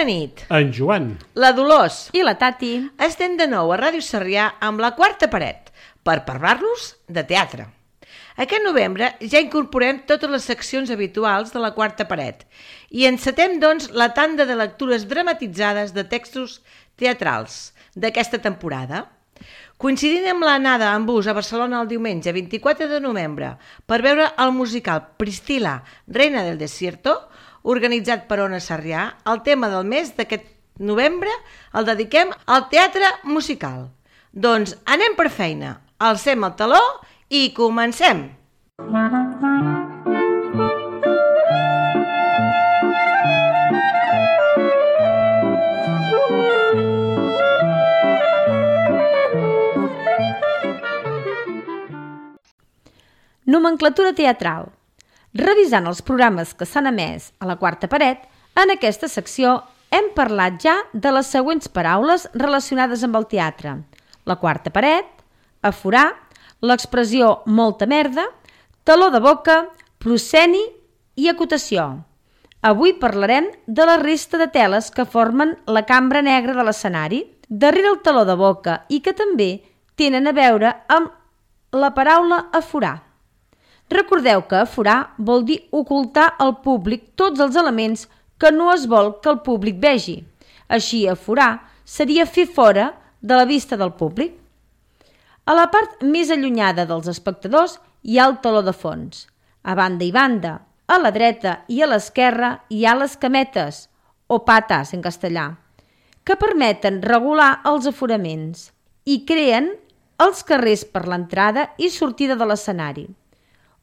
Bona nit. En Joan. La Dolors. I la Tati. Estem de nou a Ràdio Sarrià amb La Quarta Paret per parlar-los de teatre. Aquest novembre ja incorporem totes les seccions habituals de La Quarta Paret i encetem, doncs, la tanda de lectures dramatitzades de textos teatrals d'aquesta temporada. Coincidint amb l'anada en bus a Barcelona el diumenge 24 de novembre per veure el musical Priscila, Reina del Desierto, organitzat per Ona Sarrià, el tema del mes d'aquest novembre el dediquem al teatre musical. Doncs anem per feina, alcem el taló i comencem! Nomenclatura teatral. Revisant els programes que s'han emès a La Quarta Paret, en aquesta secció hem parlat ja de les següents paraules relacionades amb el teatre: la quarta paret, aforar, l'expressió molta merda, taló de boca, prosceni i acotació. Avui parlarem de la resta de teles que formen la cambra negra de l'escenari, darrere el taló de boca i que també tenen a veure amb la paraula aforar. Recordeu que aforar vol dir ocultar al públic tots els elements que no es vol que el públic vegi. Així, aforar seria fer fora de la vista del públic. A la part més allunyada dels espectadors hi ha el teló de fons. A banda i banda, a la dreta i a l'esquerra hi ha les cametes, o patas en castellà, que permeten regular els aforaments i creen els carrers per l'entrada i sortida de l'escenari.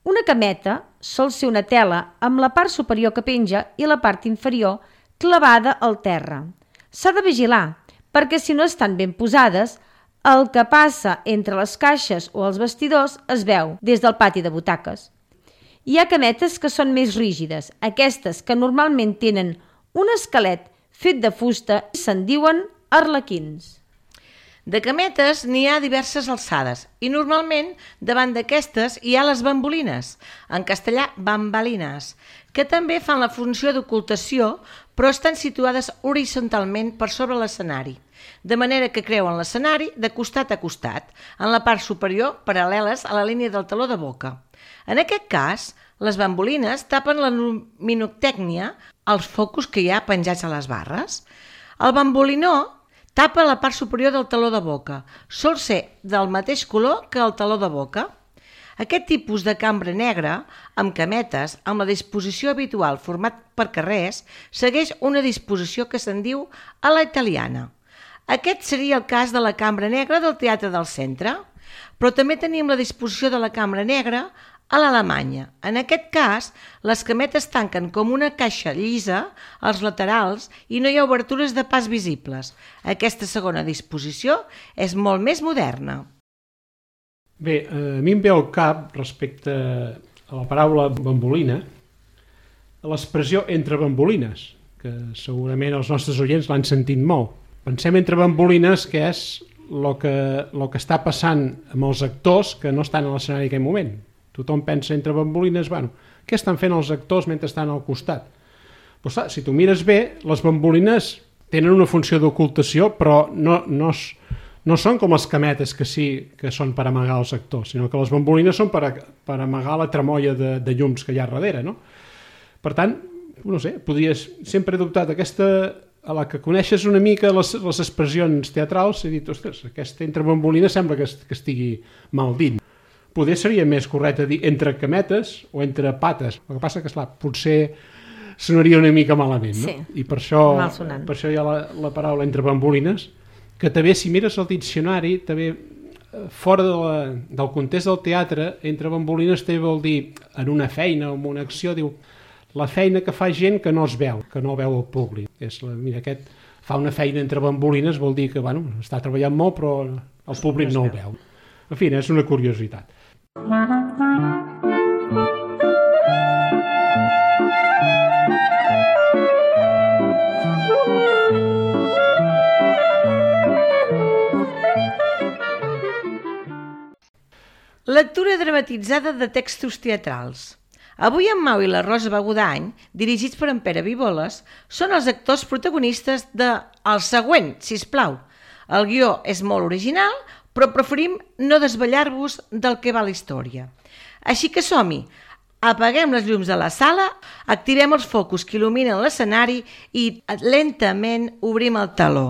Una cameta sol ser una tela amb la part superior que penja i la part inferior clavada al terra. S'ha de vigilar, perquè si no estan ben posades, el que passa entre les caixes o els vestidors es veu des del pati de butaques. Hi ha cametes que són més rígides, aquestes que normalment tenen un esquelet fet de fusta i se'n diuen arlequins. De cametes n'hi ha diverses alçades i normalment davant d'aquestes hi ha les bambolines, en castellà bambalines, que també fan la funció d'ocultació però estan situades horitzontalment per sobre l'escenari, de manera que creuen l'escenari de costat a costat, en la part superior paral·leles a la línia del taló de boca. En aquest cas, les bambolines tapen la luminotècnia, els focus que hi ha penjats a les barres. El bambolinó tapa la part superior del taló de boca. Sol ser del mateix color que el taló de boca. Aquest tipus de cambra negra, amb cametes, amb la disposició habitual format per carrers, segueix una disposició que se'n diu a la italiana. Aquest seria el cas de la cambra negra del Teatre del Centre, però també tenim la disposició de la cambra negra a l'Alemanya. En aquest cas, les cametes tanquen com una caixa llisa als laterals i no hi ha obertures de pas visibles. Aquesta segona disposició és molt més moderna. Bé, a mi em ve al cap, respecte a la paraula bambolina, l'expressió entre bambolines, que segurament els nostres oients l'han sentit molt. Pensem entre bambolines que és el que està passant amb els actors que no estan a l'escenari en aquell moment. Tothom pensa entre bambolines, bueno, què estan fent els actors mentre estan al costat? Però clar, si tu mires bé, les bambolines tenen una funció d'ocultació, però no són com les cametes que sí que són per amagar els actors, sinó que les bambolines són per amagar la tremolla de llums que hi ha darrere, no? Per tant, no sé, sempre he dubtat aquesta, a la que coneixes una mica les expressions teatrals, he dit, ostres, aquesta entre bambolines sembla que estigui mal dit. Poder seria més correcte dir entre cametes o entre pates. El que passa que, esclar, potser sonaria una mica malament, no? Sí, i per això hi ha la paraula entre bambolines, que també, si mires el diccionari, també fora del context del teatre, entre bambolines també vol dir en una feina o en una acció, diu la feina que fa gent que no es veu, que no veu el públic. Mira, aquest fa una feina entre bambolines, vol dir que està treballant molt però el públic no el veu. En fi, és una curiositat. Lectura dramatitzada de textos teatrals. Avui en Mau i la Rosa Begudany, dirigits per en Pere Viboles, són els actors protagonistes de El següent, sisplau. El guió és molt original, però preferim no desvetllar-vos del que va la història. Així que som-hi, apaguem les llums de la sala, activem els focus que il·luminen l'escenari i lentament obrim el teló.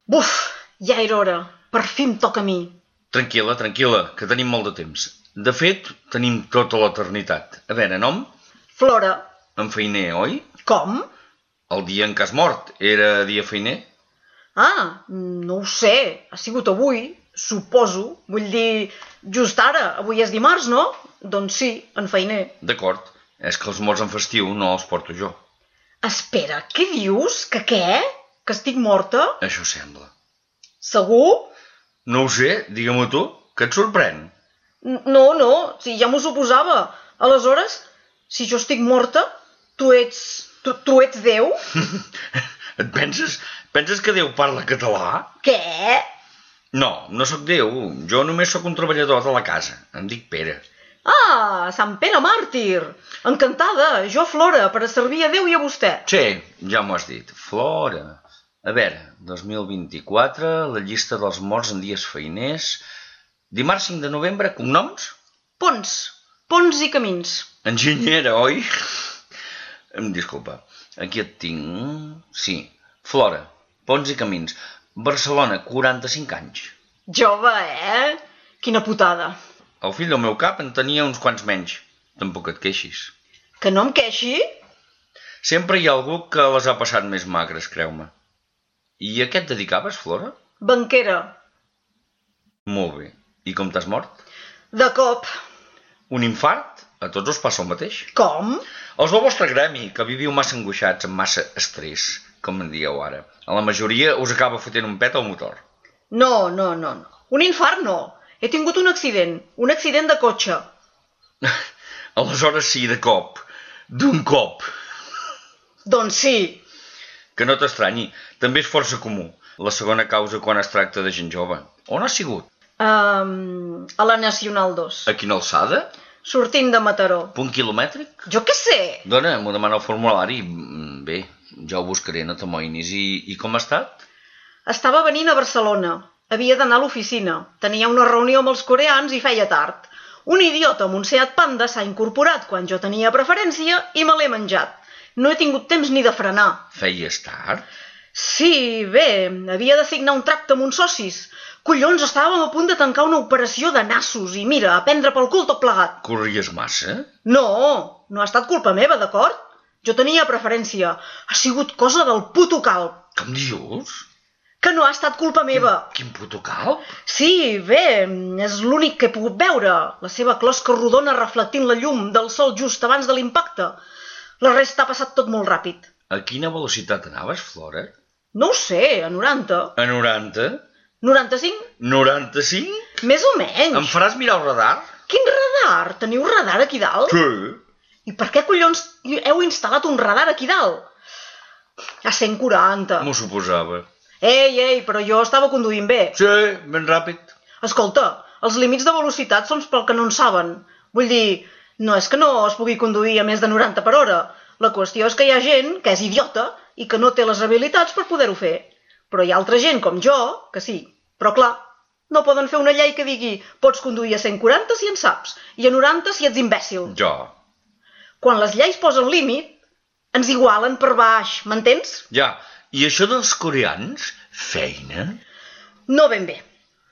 Buf, ja era hora. Per fi em toca a mi. Tranquil·la, que tenim molt de temps. De fet, tenim tota l'eternitat. A veure, nom? Flora. En feiner, oi? Com? El dia en què has mort era dia feiner? Ah, no ho sé. Ha sigut avui, suposo. Vull dir, just ara. Avui és dimarts, no? Doncs sí, en feiner. D'acord. És que els morts en festiu no els porto jo. Espera, què dius? Que què? Que estic morta? Això sembla. Segur? No ho sé, digue-m'ho tu. Què et sorprèn? No, si ja m'ho suposava. Aleshores, si jo estic morta, tu ets Déu? Et penses que Déu parla català? Què? No sóc Déu. Jo només sóc un treballador de la casa. Em dic Pere. Ah, Sant Pere Màrtir. Encantada, jo Flora, per a servir a Déu i a vostè. Sí, ja m'ho has dit. Flora. A veure, 2024, la llista dels morts en dies feiners... Dimarts 5 de novembre, cognoms? Ponts i Camins. Enginyera, oi? Disculpa, aquí et tinc... Sí, Flora, Ponts i Camins. Barcelona, 45 anys. Jove, Quina putada. El fill del meu cap en tenia uns quants menys. Tampoc et queixis. Que no em queixi? Sempre hi ha algú que les ha passat més magres, creu-me. I a què et dedicaves, Flora? Banquera. Molt bé. I com t'has mort? De cop. Un infart? A tots us passa el mateix. Com? Els del vostre gremi, que viviu massa angoixats, amb massa estrès, com en dieu ara. A la majoria us acaba fotent un pet al motor. No. Un infart no. He tingut un accident de cotxe. Aleshores sí, de cop. D'un cop. Doncs sí. Que no t'estranyi, també és força comú. La segona causa quan es tracta de gent jove. On has sigut? A la Nacional 2. A quina alçada? Sortint de Mataró. Punt quilomètric? Jo què sé? Dona, m'ho demana el formulari. Bé, ja ho buscaré, no t'amoïnis. I com ha estat? Estava venint a Barcelona. Havia d'anar a l'oficina. Tenia una reunió amb els coreans i feia tard. Un idiota amb un Seat Panda s'ha incorporat quan jo tenia preferència i me l'he menjat. No he tingut temps ni de frenar. Feies tard? Sí, bé, havia de signar un tracte amb uns socis. Collons, estàvem a punt de tancar una operació de nassos i mira, a prendre pel cul tot plegat. Corries massa? No ha estat culpa meva, d'acord? Jo tenia preferència. Ha sigut cosa del puto calb. Com dius? Que no ha estat culpa meva. Quin puto calb? Sí, bé, és l'únic que he pogut veure. La seva closca rodona reflectint la llum del sol just abans de l'impacte. La resta ha passat tot molt ràpid. A quina velocitat anaves, Flora? No ho sé, a 90. A 90? 95? 95? Més o menys. Em faràs mirar el radar? Quin radar? Teniu radar aquí dalt? Sí. I per què collons heu instal·lat un radar aquí dalt? A 140. M'ho suposava. Ei, però jo estava conduint bé. Sí, ben ràpid. Escolta, els límits de velocitat són pel que no en saben. Vull dir, no és que no es pugui conduir a més de 90 per hora. La qüestió és que hi ha gent que és idiota i que no té les habilitats per poder-ho fer. Però hi ha altra gent, com jo, que sí. Però clar, no poden fer una llei que digui pots conduir a 140 si en saps i a 90 si ets imbècil. Jo. Quan les lleis posen límit, ens igualen per baix, m'entens? Ja. I això dels coreans? Feina? No ben bé.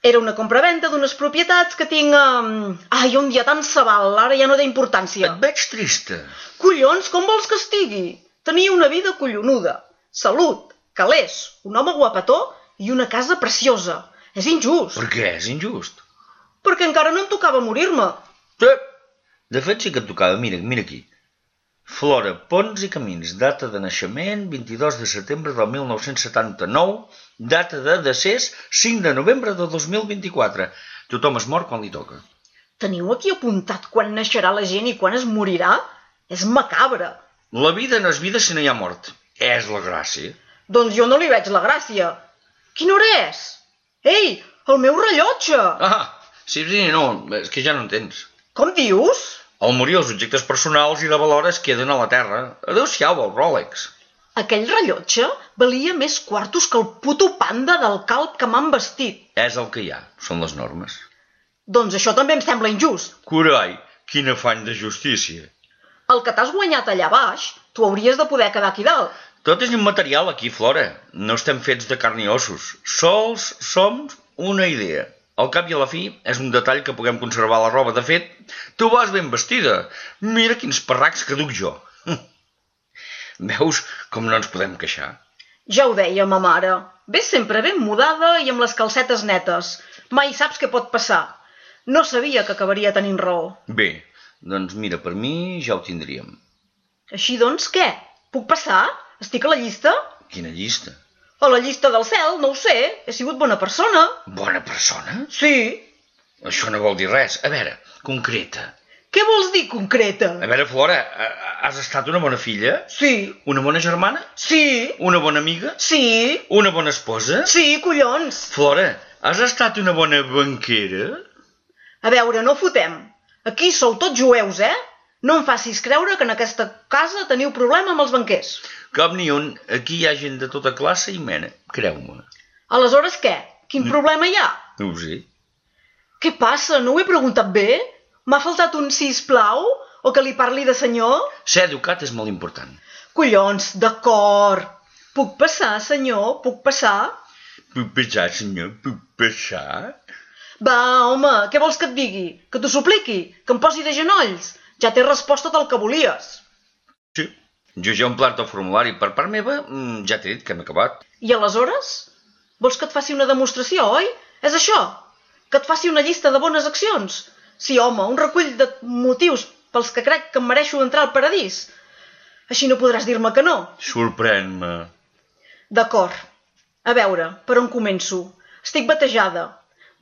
Era una compravenda d'unes propietats que tinc... Ai, un dia tan sabal, ara ja no té importància. Et veig trista. Collons, com vols que estigui? Tenia una vida collonuda. salut, calés, un home guapetó i una casa preciosa. És injust. Per què és injust? Perquè encara no em tocava morir-me. Sí. De fet, sí que et tocava. Mira aquí. Flora Pons i Camins, data de naixement 22 de setembre del 1979, data de decés 5 de novembre de 2024. Tothom es mor quan li toca. Teniu aquí apuntat quan naixerà la gent i quan es morirà? És macabre. La vida no és vida si no hi ha mort. És la gràcia. Doncs jo no li veig la gràcia. Quina hora és? Ei, el meu rellotge! Sí, no, és que ja no entens. Com dius? Al morir els objectes personals i de valor es queden a la terra. Adéu-siau, el Rolex. Aquell rellotge valia més quartos que el puto panda del calb que m'han vestit. És el que hi ha, són les normes. Doncs això també em sembla injust. Carai, quin afany de justícia. El que t'has guanyat allà baix, tu hauries de poder quedar aquí dalt. Tot és immaterial aquí, Flora. No estem fets de carn i ossos. Sols som una idea. Al cap i a la fi, és un detall que puguem conservar la roba. De fet, tu vas ben vestida. Mira quins parracs que duc jo. Veus com no ens podem queixar? Ja ho deia ma mare. Ves sempre ben mudada i amb les calcetes netes. Mai saps què pot passar. No sabia que acabaria tenint raó. Bé, doncs mira, per mi ja ho tindríem. Així doncs, què? Puc passar? Estic a la llista? Quina llista? A la llista del cel, no ho sé. He sigut bona persona. Bona persona? Sí. Això no vol dir res. A veure, concreta. Què vols dir, concreta? A veure, Flora, has estat una bona filla? Sí. Una bona germana? Sí. Una bona amiga? Sí. Una bona esposa? Sí, collons. Flora, has estat una bona banquera? A veure, no fotem. Aquí sou tots jueus, eh? No em facis creure que en aquesta casa teniu problema amb els banquers. Cap ni un. Aquí hi ha gent de tota classe i mena, creu-me. Aleshores què? Quin problema hi ha? No ho sé. Què passa? No ho he preguntat bé? M'ha faltat un sisplau? O que li parli de senyor? Ser educat és molt important. Collons, d'acord. Puc passar, senyor? Puc passar? Puc passar, senyor? Puc passar? Va, home, què vols que et digui? Que t'ho supliqui? Que em posi de genolls? Ja t'he respost tot el que volies. Sí. Jo ja he omplert el formulari. Per part meva, ja t'he dit que hem acabat. I aleshores? Vols que et faci una demostració, oi? És això? Que et faci una llista de bones accions? Sí, home, un recull de motius pels que crec que em mereixo entrar al paradís. Així no podràs dir-me que no. Sorprèn-me. D'acord. A veure, per on començo? Estic batejada.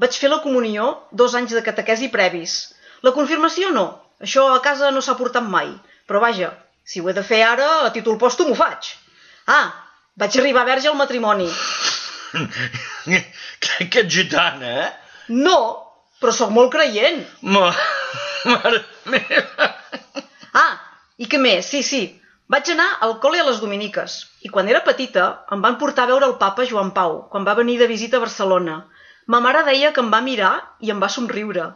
Vaig fer la comunió 2 anys de catequesi previs. La confirmació no. Això a casa no s'ha portat mai. Però vaja, si ho he de fer ara, a títol pòstum ho faig. Vaig arribar verge al matrimoni. Que ets gitana, eh? No, però sóc molt creient. Mare meva. I què més? Sí. Vaig anar al col·le a les dominiques. I quan era petita em van portar a veure el papa Joan Pau, quan va venir de visita a Barcelona. Ma mare deia que em va mirar i em va somriure.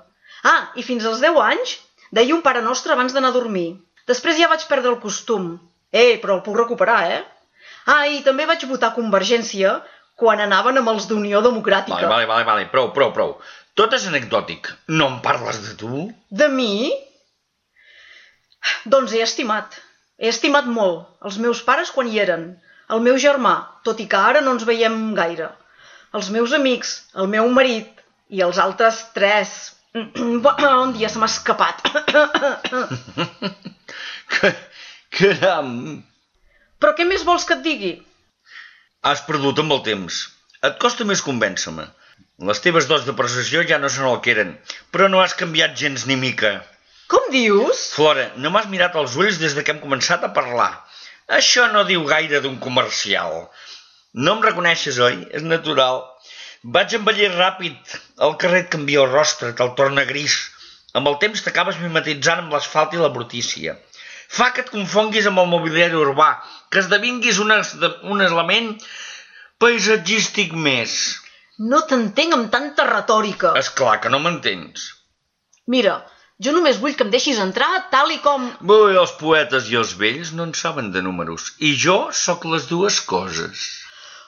I fins als 10 anys deia un Pare Nostre abans d'anar a dormir. Després ja vaig perdre el costum. Però el puc recuperar, eh? I també vaig votar Convergència quan anaven amb els d'Unió Democràtica. Vale, prou. Tot és anecdòtic. No em parles de tu? De mi? Doncs he estimat. He estimat molt. Els meus pares quan hi eren. El meu germà, tot i que ara no ens veiem gaire. Els meus amics, el meu marit i els altres 3. Un dia se m'ha escapat. Caram! Però què més vols que et digui? Has perdut amb el temps. Et costa més convèncer-me. Les teves dots de persuasió ja no són el que eren, però no has canviat gens ni mica. Com dius? Flora, no m'has mirat als ulls des que hem començat a parlar. Això no diu gaire d'un comercial. No em reconeixes, oi? És natural. Vaig envellir ràpid. El carrer et canvia el rostre, te'l torna gris. Amb el temps t'acabes mimetitzant amb l'asfalt i la brutícia. Fa que et confonguis amb el mobiliari urbà, que esdevinguis un element paisatgístic més. No t'entenc amb tanta retòrica. Esclar que no m'entens. Mira, jo només vull que em deixis entrar tal i com... Els poetes i els vells no en saben de números. I jo sóc les dues coses.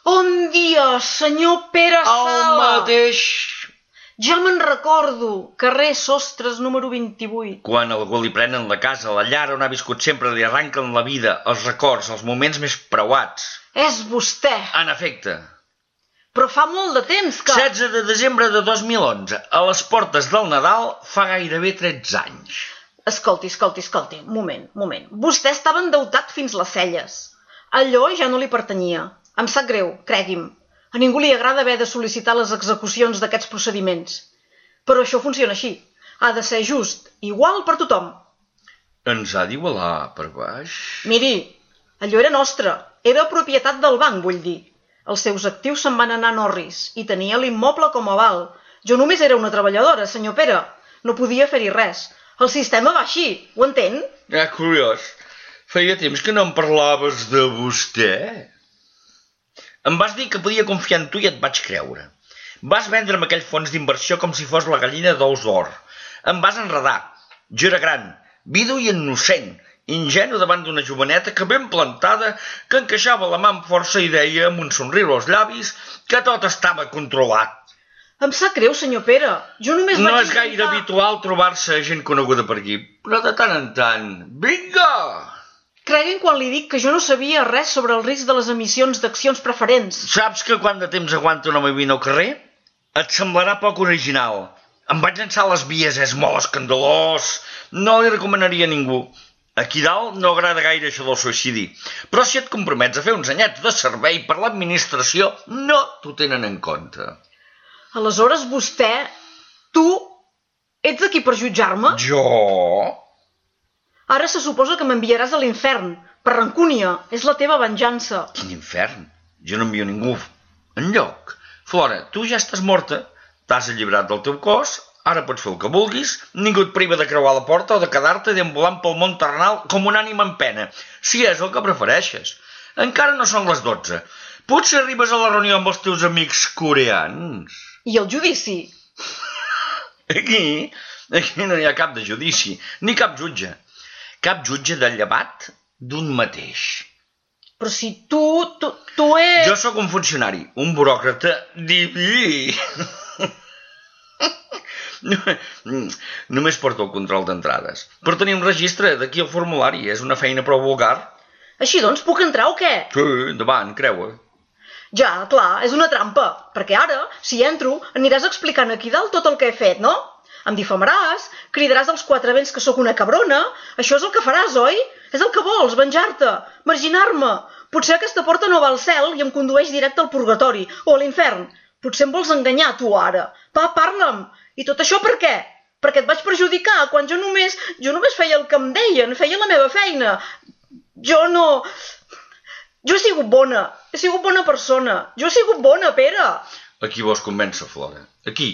Bon dia, senyor Pere Sala. El mateix. Ja me'n recordo, carrer Sostres número 28. Quan algú li prenen la casa, la llar on ha viscut sempre, li arranquen la vida, els records, els moments més preuats. És vostè. En efecte. Però fa molt de temps que... 16 de desembre de 2011, a les portes del Nadal, fa gairebé 13 anys. Escolti, moment. Vostè estava endeutat fins les celles. Allò ja no li pertanyia. Em sap greu, cregui'm. A ningú li agrada haver de sol·licitar les execucions d'aquests procediments. Però això funciona així. Ha de ser just, igual per tothom. Ens ha d'igualar per baix? Miri, allò era nostre. Era propietat del banc, vull dir. Els seus actius se'n van anar a Norris i tenia l'immoble com a aval. Jo només era una treballadora, senyor Pere. No podia fer-hi res. El sistema va així, ho entén? Curiós. Feia temps que no em parlaves de vostè. Em vas dir que podia confiar en tu i et vaig creure. Vas vendre'm aquell fons d'inversió com si fos la gallina d'ous d'or. Em vas enredar. Jo era gran, vidu i innocent, ingenu davant d'una joveneta que ben plantada, que encaixava la mà amb força i deia, amb un somriure als llavis, que tot estava controlat. Em sap greu, senyor Pere. Jo només vaig No és gaire habitual trobar-se gent coneguda per aquí, però de tant en tant... Vinga! Creguin quan li dic que jo no sabia res sobre el risc de les emissions d'accions preferents. Saps que quant de temps aguanta un home vivint al carrer? Et semblarà poc original. Em vaig llançar a les vies, és molt escandalós. No li recomanaria a ningú. Aquí dalt no agrada gaire això del suïcidi. Però si et compromets a fer uns anyets de servei per l'administració, no t'ho tenen en compte. Aleshores vostè, tu, ets aquí per jutjar-me? Jo? Ara se suposa que m'enviaràs a l'infern, per rancúnia, és la teva venjança. Quin infern? Jo no envio ningú enlloc. Flora, tu ja estàs morta, t'has alliberat del teu cos, ara pots fer el que vulguis, ningú et priva de creuar la porta o de quedar-te deambulant pel món terrenal com un ànima en pena, si és el que prefereixes. Encara no són les 12. Potser arribes a la reunió amb els teus amics coreans. I el judici? Aquí no hi ha cap de judici, ni cap jutge. Cap jutge de llevat d'un mateix. Però si tu ets... Jo sóc un funcionari, un buròcrata diví. Només porto el control d'entrades. Per tenir un registre d'aquí al formulari, és una feina prou vulgar. Així doncs, puc entrar o què? Sí, endavant, creua. Ja, clar, és una trampa, perquè ara, si entro, aniràs explicant aquí dalt tot el que he fet, no? Em difamaràs, cridaràs als quatre vents que sóc una cabrona, això és el que faràs, oi? És el que vols, venjar-te, marginar-me. Potser aquesta porta no va al cel i em condueix directe al purgatori o a l'infern. Potser em vols enganyar, tu, ara. Va, parla'm. I tot això per què? Perquè et vaig perjudicar quan jo només feia el que em deien, feia la meva feina. Jo he sigut bona, he sigut bona persona, jo he sigut bona, Pere. A qui vols convèncer, Flora? Aquí.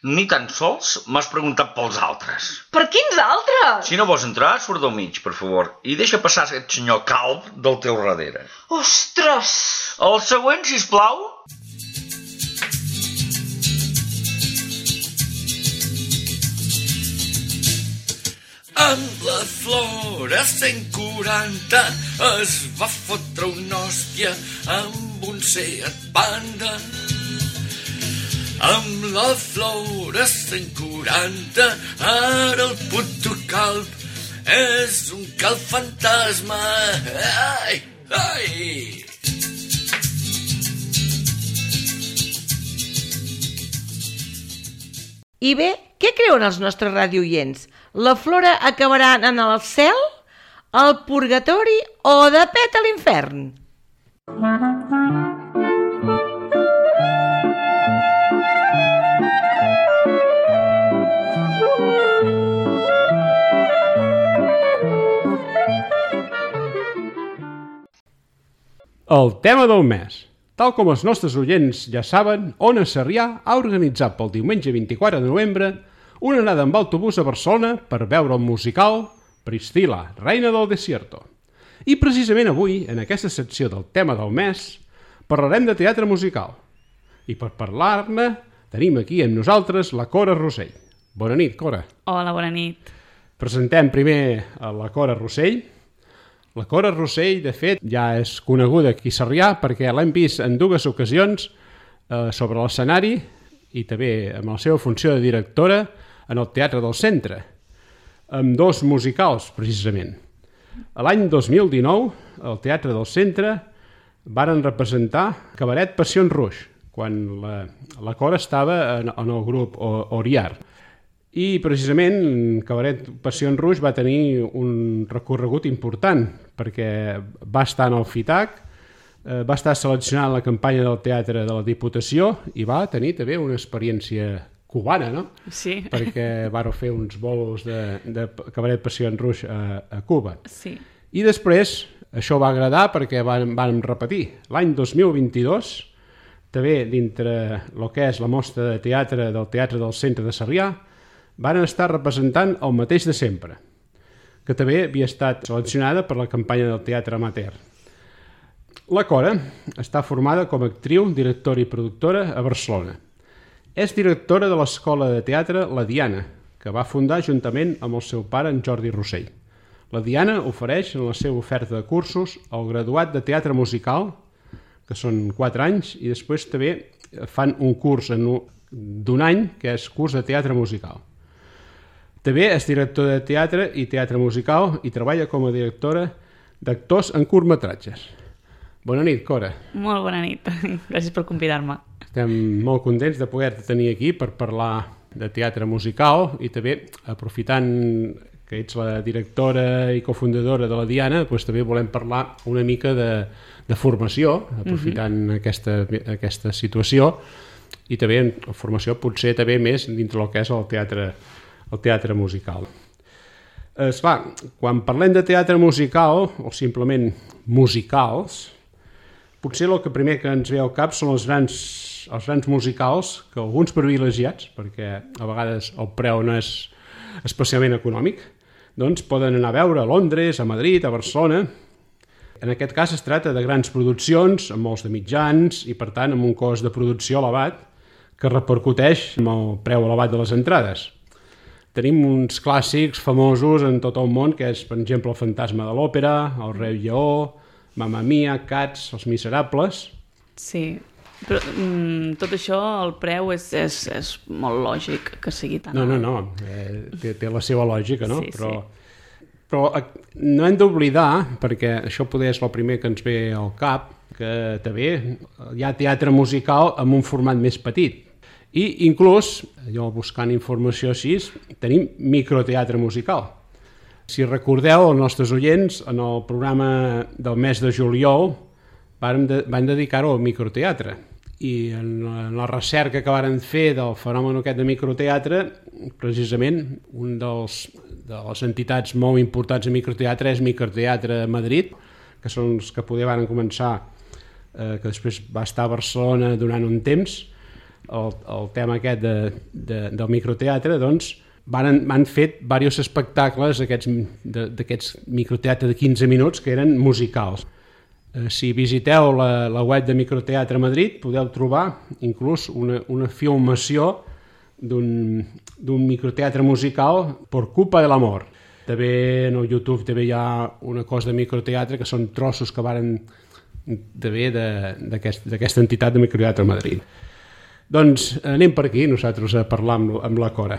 Ni tan sols m'has preguntat pels altres. Per quins altres? Si no vols entrar, surt del mig, per favor, i deixa passar aquest senyor calb del teu darrere. Ostres! El següent, sisplau. Amb la Flora 140 es va fotre una hòstia amb un Seat Panda. Amb la Flora 140 ara el puto calb és un calb fantasma. Ai, ai! I bé, què creuen els nostres radioients? La Flora acabarà anant al cel, al purgatori o de pet a l'infern? El tema del mes. Tal com els nostres oients ja saben, Ona Sarrià ha organitzat pel diumenge 24 de novembre una anada amb autobús a Barcelona per veure el musical Priscila, reina del desierto. I precisament avui, en aquesta secció del tema del mes, parlarem de teatre musical. I per parlar-ne tenim aquí amb nosaltres la Cora Rossell. Bona nit, Cora. Hola, bona nit. Presentem primer a la Cora Rossell. La Cora Rossell, de fet, ja és coneguda aquí a Sarrià perquè l'hem vist en dues ocasions sobre l'escenari i també amb la seva funció de directora en el Teatre del Centre, amb 2 musicals, precisament. L'any 2019, al Teatre del Centre, varen representar Cabaret Passions Rouge, quan la Cora estava en el grup Oriar. I precisament Cabaret Passions Rouge va tenir un recorregut important, perquè va estar en el FITAC, va estar seleccionat en la campanya del Teatre de la Diputació i va tenir també una experiència cubana, no? Sí. Perquè vàreu fer uns bolos de Cabaret Passions Rouge a Cuba. Sí. I després això va agradar perquè vam repetir. L'any 2022, també dintre el que és la mostra de teatre del Teatre del Centre de Sarrià, van estar representant el mateix de sempre, que també havia estat seleccionada per la campanya del teatre amateur. La Cora està formada com a actriu, directora i productora a Barcelona. És directora de l'Escola de Teatre La Diana, que va fundar juntament amb el seu pare, en Jordi Rossell. La Diana ofereix en la seva oferta de cursos el graduat de teatre musical, que són 4 anys, i després també fan un curs d'un any, que és curs de teatre musical. També és directora de teatre i teatre musical i treballa com a directora d'actors en curtmetratges. Bona nit, Cora. Molt bona nit. Gràcies per convidar-me. Estem molt contents de poder-te tenir aquí per parlar de teatre musical i també, aprofitant que ets la directora i cofundadora de la Diana, doncs també volem parlar una mica de formació, aprofitant aquesta situació, i també formació potser també més dintre del que és el teatre musical. Esclar, quan parlem de teatre musical, o simplement musicals, potser el que primer que ens ve al cap són els grans musicals, que alguns privilegiats, perquè a vegades el preu no és especialment econòmic, doncs poden anar a veure a Londres, a Madrid, a Barcelona. En aquest cas es tracta de grans produccions, amb molts de mitjans i per tant amb un cost de producció elevat que repercuteix amb el preu elevat de les entrades. Tenim uns clàssics famosos en tot el món, que és, per exemple, El fantasma de l'òpera, El rei lleó, Mamma Mia, Cats, Els miserables. Sí, però tot això, el preu és molt lògic que sigui tan alt. No, té la seva lògica, no? Sí, Però no hem d'oblidar, perquè això poder és el primer que ens ve al cap, que també hi ha teatre musical amb un format més petit. I inclús, jo buscant informació així, tenim microteatre musical. Si recordeu, els nostres oients, en el programa del mes de juliol van dedicar-ho al microteatre. I en la recerca que varen fer del fenomen aquest de microteatre, precisament una de les entitats molt importants de microteatre és Microteatre Madrid, que són els que poder van començar, que després va estar a Barcelona durant un temps, el tema aquest del microteatre, doncs, han fet diversos espectacles d'aquests microteatre de 15 minuts que eren musicals. Si visiteu la web de Microteatre Madrid podeu trobar inclús una filmació d'un microteatre musical Por culpa de l'amor. També en el YouTube també hi ha una cosa de microteatre que són trossos que varen d'aquesta entitat de Microteatre Madrid. Doncs anem per aquí nosaltres a parlar amb la Cora.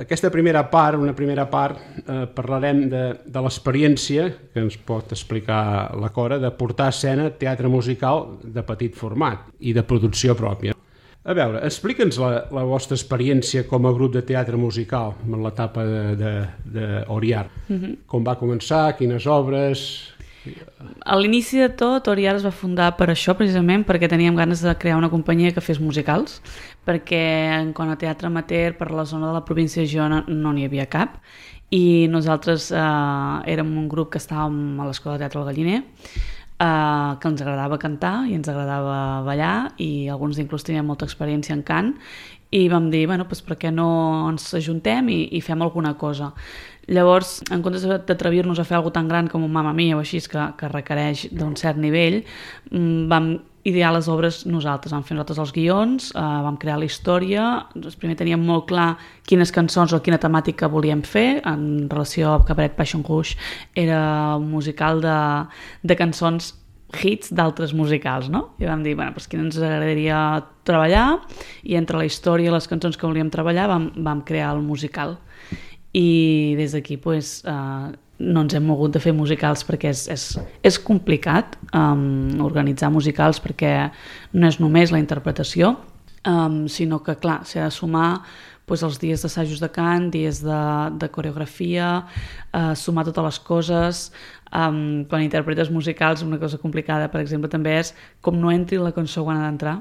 Aquesta primera part, parlarem de l'experiència que ens pot explicar la Cora de portar a escena teatre musical de petit format i de producció pròpia. A veure, explica'ns la vostra experiència com a grup de teatre musical en l'etapa d'Oriar. Com va començar, quines obres... A l'inici de tot, Oriar es va fundar per això, precisament perquè teníem ganes de crear una companyia que fes musicals, perquè en quant a teatre amateur per la zona de la província de Girona no n'hi havia cap, i nosaltres érem un grup que estàvem a l'Escola de Teatre del Galliner, que ens agradava cantar i ens agradava ballar, i alguns inclús teníem molta experiència en cant, i vam dir, bueno, doncs per què no ens ajuntem i fem alguna cosa. Llavors, en comptes d'atrevir-nos a fer alguna tan gran com un Mamma Mia o així, que requereix d'un cert nivell, vam idear les obres nosaltres, vam fer nosaltres els guions, vam crear la història, primer teníem molt clar quines cançons o quina temàtica volíem fer. En relació a Cabaret Passions Rouge era un musical de cançons hits d'altres musicals, no? I vam dir, bueno, doncs quin ens agradaria treballar, i entre la història i les cançons que volíem treballar vam crear el musical. I des d'aquí doncs, no ens hem mogut de fer musicals perquè és complicat organitzar musicals, perquè no és només la interpretació, sinó que, clar, s'ha de sumar doncs, els dies d'assajos de cant, dies de coreografia, sumar totes les coses. Quan interpretes musicals, una cosa complicada, per exemple, també és com no entri la cançó quan ha d'entrar,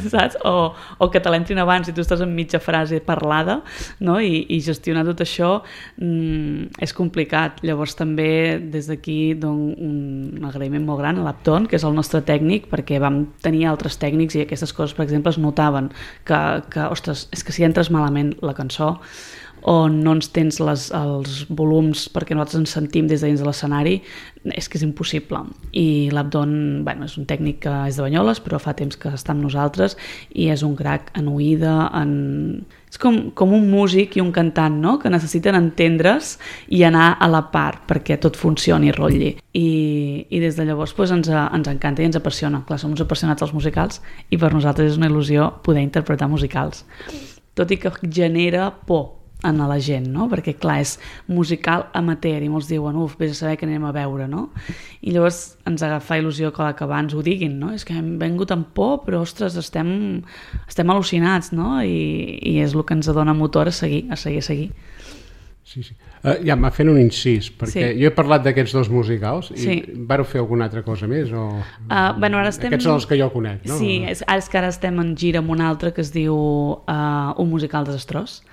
saps? O que te l'entrin abans i tu estàs en mitja frase parlada, no? I gestionar tot això és complicat. Llavors també des d'aquí un agraïment molt gran a l'Apton, que és el nostre tècnic, perquè vam tenir altres tècnics i aquestes coses, per exemple, es notaven que ostres, és que si entres malament la cançó o no ens tens els volums perquè nosaltres ens sentim des de dins de l'escenari, és que és impossible. I l'Abdon, bueno, és un tècnic que és de Banyoles, però fa temps que està amb nosaltres i és un crac en oïda, és com un músic i un cantant, no? Que necessiten entendre's i anar a la part perquè tot funcioni i rotlli. I des de llavors doncs, ens encanta i ens apassiona. Clar, som uns apassionats dels musicals i per nosaltres és una il·lusió poder interpretar musicals. Tot i que genera por a la gent, no? Perquè clar, és musical amateur i molts diuen, vés a saber què anem a veure, no? I llavors ens agafa il·lusió que abans ho diguin, no? És que hem vengut amb por, però ostres, estem al·lucinats, no? I és el que ens dona motor a seguir. Sí. Ja m'ha fet un incís, perquè jo he parlat d'aquests dos musicals i vareu fer alguna altra cosa més? Bueno, ara estem... Aquests són els que jo conec, no? Sí, és que ara estem en gira amb un altre que es diu Un musical desastrós,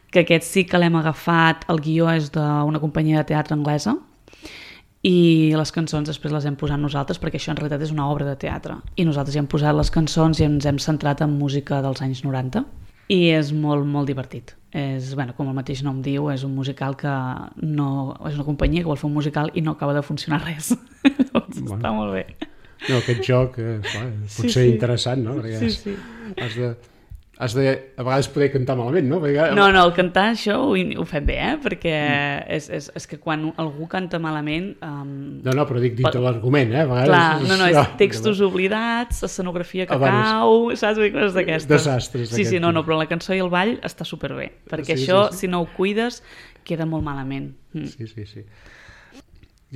que aquest sí que l'hem agafat, el guió és d'una companyia de teatre anglesa i les cançons després les hem posat nosaltres perquè això en realitat és una obra de teatre i nosaltres hi hem posat les cançons i ens hem centrat en música dels anys 90 i és molt, molt divertit. Com el mateix nom diu, és un musical que no... és una companyia que vol fer un musical i no acaba de funcionar res. Està molt bé. No, aquest joc pot ser interessant, no? Perquè sí. Has de a vegades poder cantar malament, no? Perquè... No, el cantar això ho fem bé, perquè és que quan algú canta malament... No, però dic dintre l'argument, a vegades... Clar, és textos oblidats, escenografia que cau, saps? Coses d'aquestes. Desastres. Sí, però la cançó i el ball està superbé, perquè això, si no ho cuides, queda molt malament. Sí.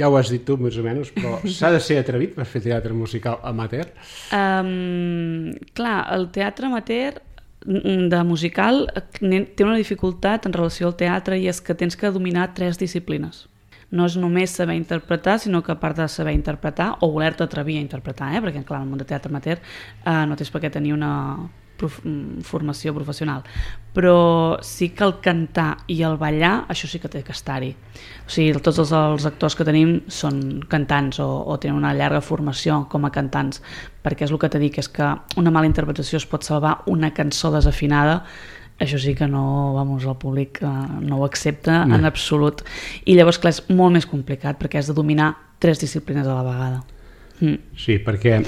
Ja ho has dit tu, més o menys, però s'ha de ser atrevit per fer teatre musical amateur? Clar, el teatre amateur de musical té una dificultat en relació al teatre i és que tens que dominar 3 disciplines. No és només saber interpretar, sinó que a part de saber interpretar o voler-te atrevir a interpretar, perquè clar, en el món de teatre amateur no tens per què tenir una formació professional, però sí que el cantar i el ballar, això sí que té que estar-hi. O sigui, tots els actors que tenim són cantants o tenen una llarga formació com a cantants, perquè és el que t'he dit, és que una mala interpretació es pot salvar una cançó desafinada, això sí que no, el públic no ho accepta en absolut. I llavors, clar, és molt més complicat perquè has de dominar 3 disciplines a la vegada. Sí, perquè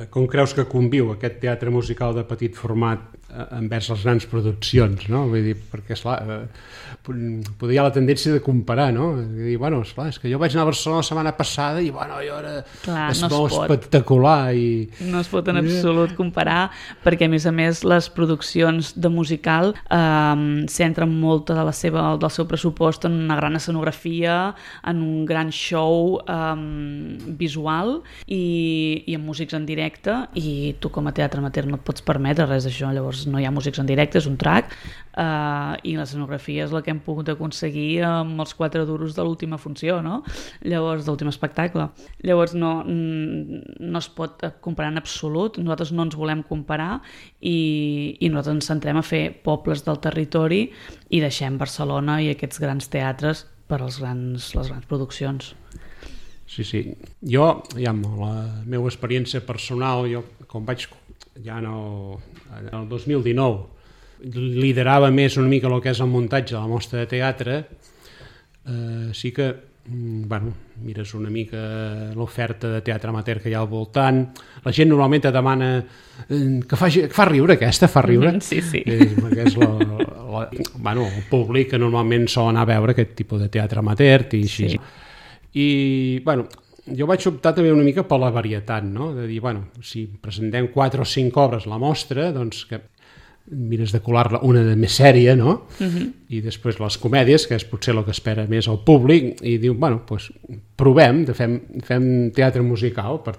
com creus que conviu aquest teatre musical de petit format envers les grans produccions, no? Vull dir, perquè, esclar, poder hi ha la tendència de comparar, no? I dir, esclar, és que jo vaig anar a Barcelona la setmana passada i, jo era... Clar, és molt espectacular i... No es pot en absolut comparar, perquè, a més, les produccions de musical centren molt del seu pressupost en una gran escenografia, en un gran show visual i en músics en directe, i tu com a teatre amateur no et pots permetre res d'això, llavors no hi ha músics en directe, és un track, i l'escenografia és la que hem pogut aconseguir amb els 4 duros de l'última funció, no? Llavors, de l'últim espectacle. Llavors no es pot comparar en absolut, nosaltres no ens volem comparar i nosaltres ens centrem a fer pobles del territori i deixem Barcelona i aquests grans teatres per les grans produccions. Sí. Jo, la meva experiència personal, jo com vaig ja en el 2019 liderava més una mica el que és el muntatge de la mostra de teatre, sí que mires una mica l'oferta de teatre amateur que hi ha al voltant, la gent normalment et demana que fa riure aquesta, fa riure. Sí. Perquè és el públic que normalment sol anar a veure aquest tipus de teatre amateur i així. Sí. I, jo vaig optar també una mica per la varietat, no? De dir, bueno, si presentem 4 o 5 obres a la mostra, doncs que mires de colar-la una de més sèria, no? I després les comèdies, que és potser el que espera més el públic, i diu, bueno, doncs provem, fem teatre musical per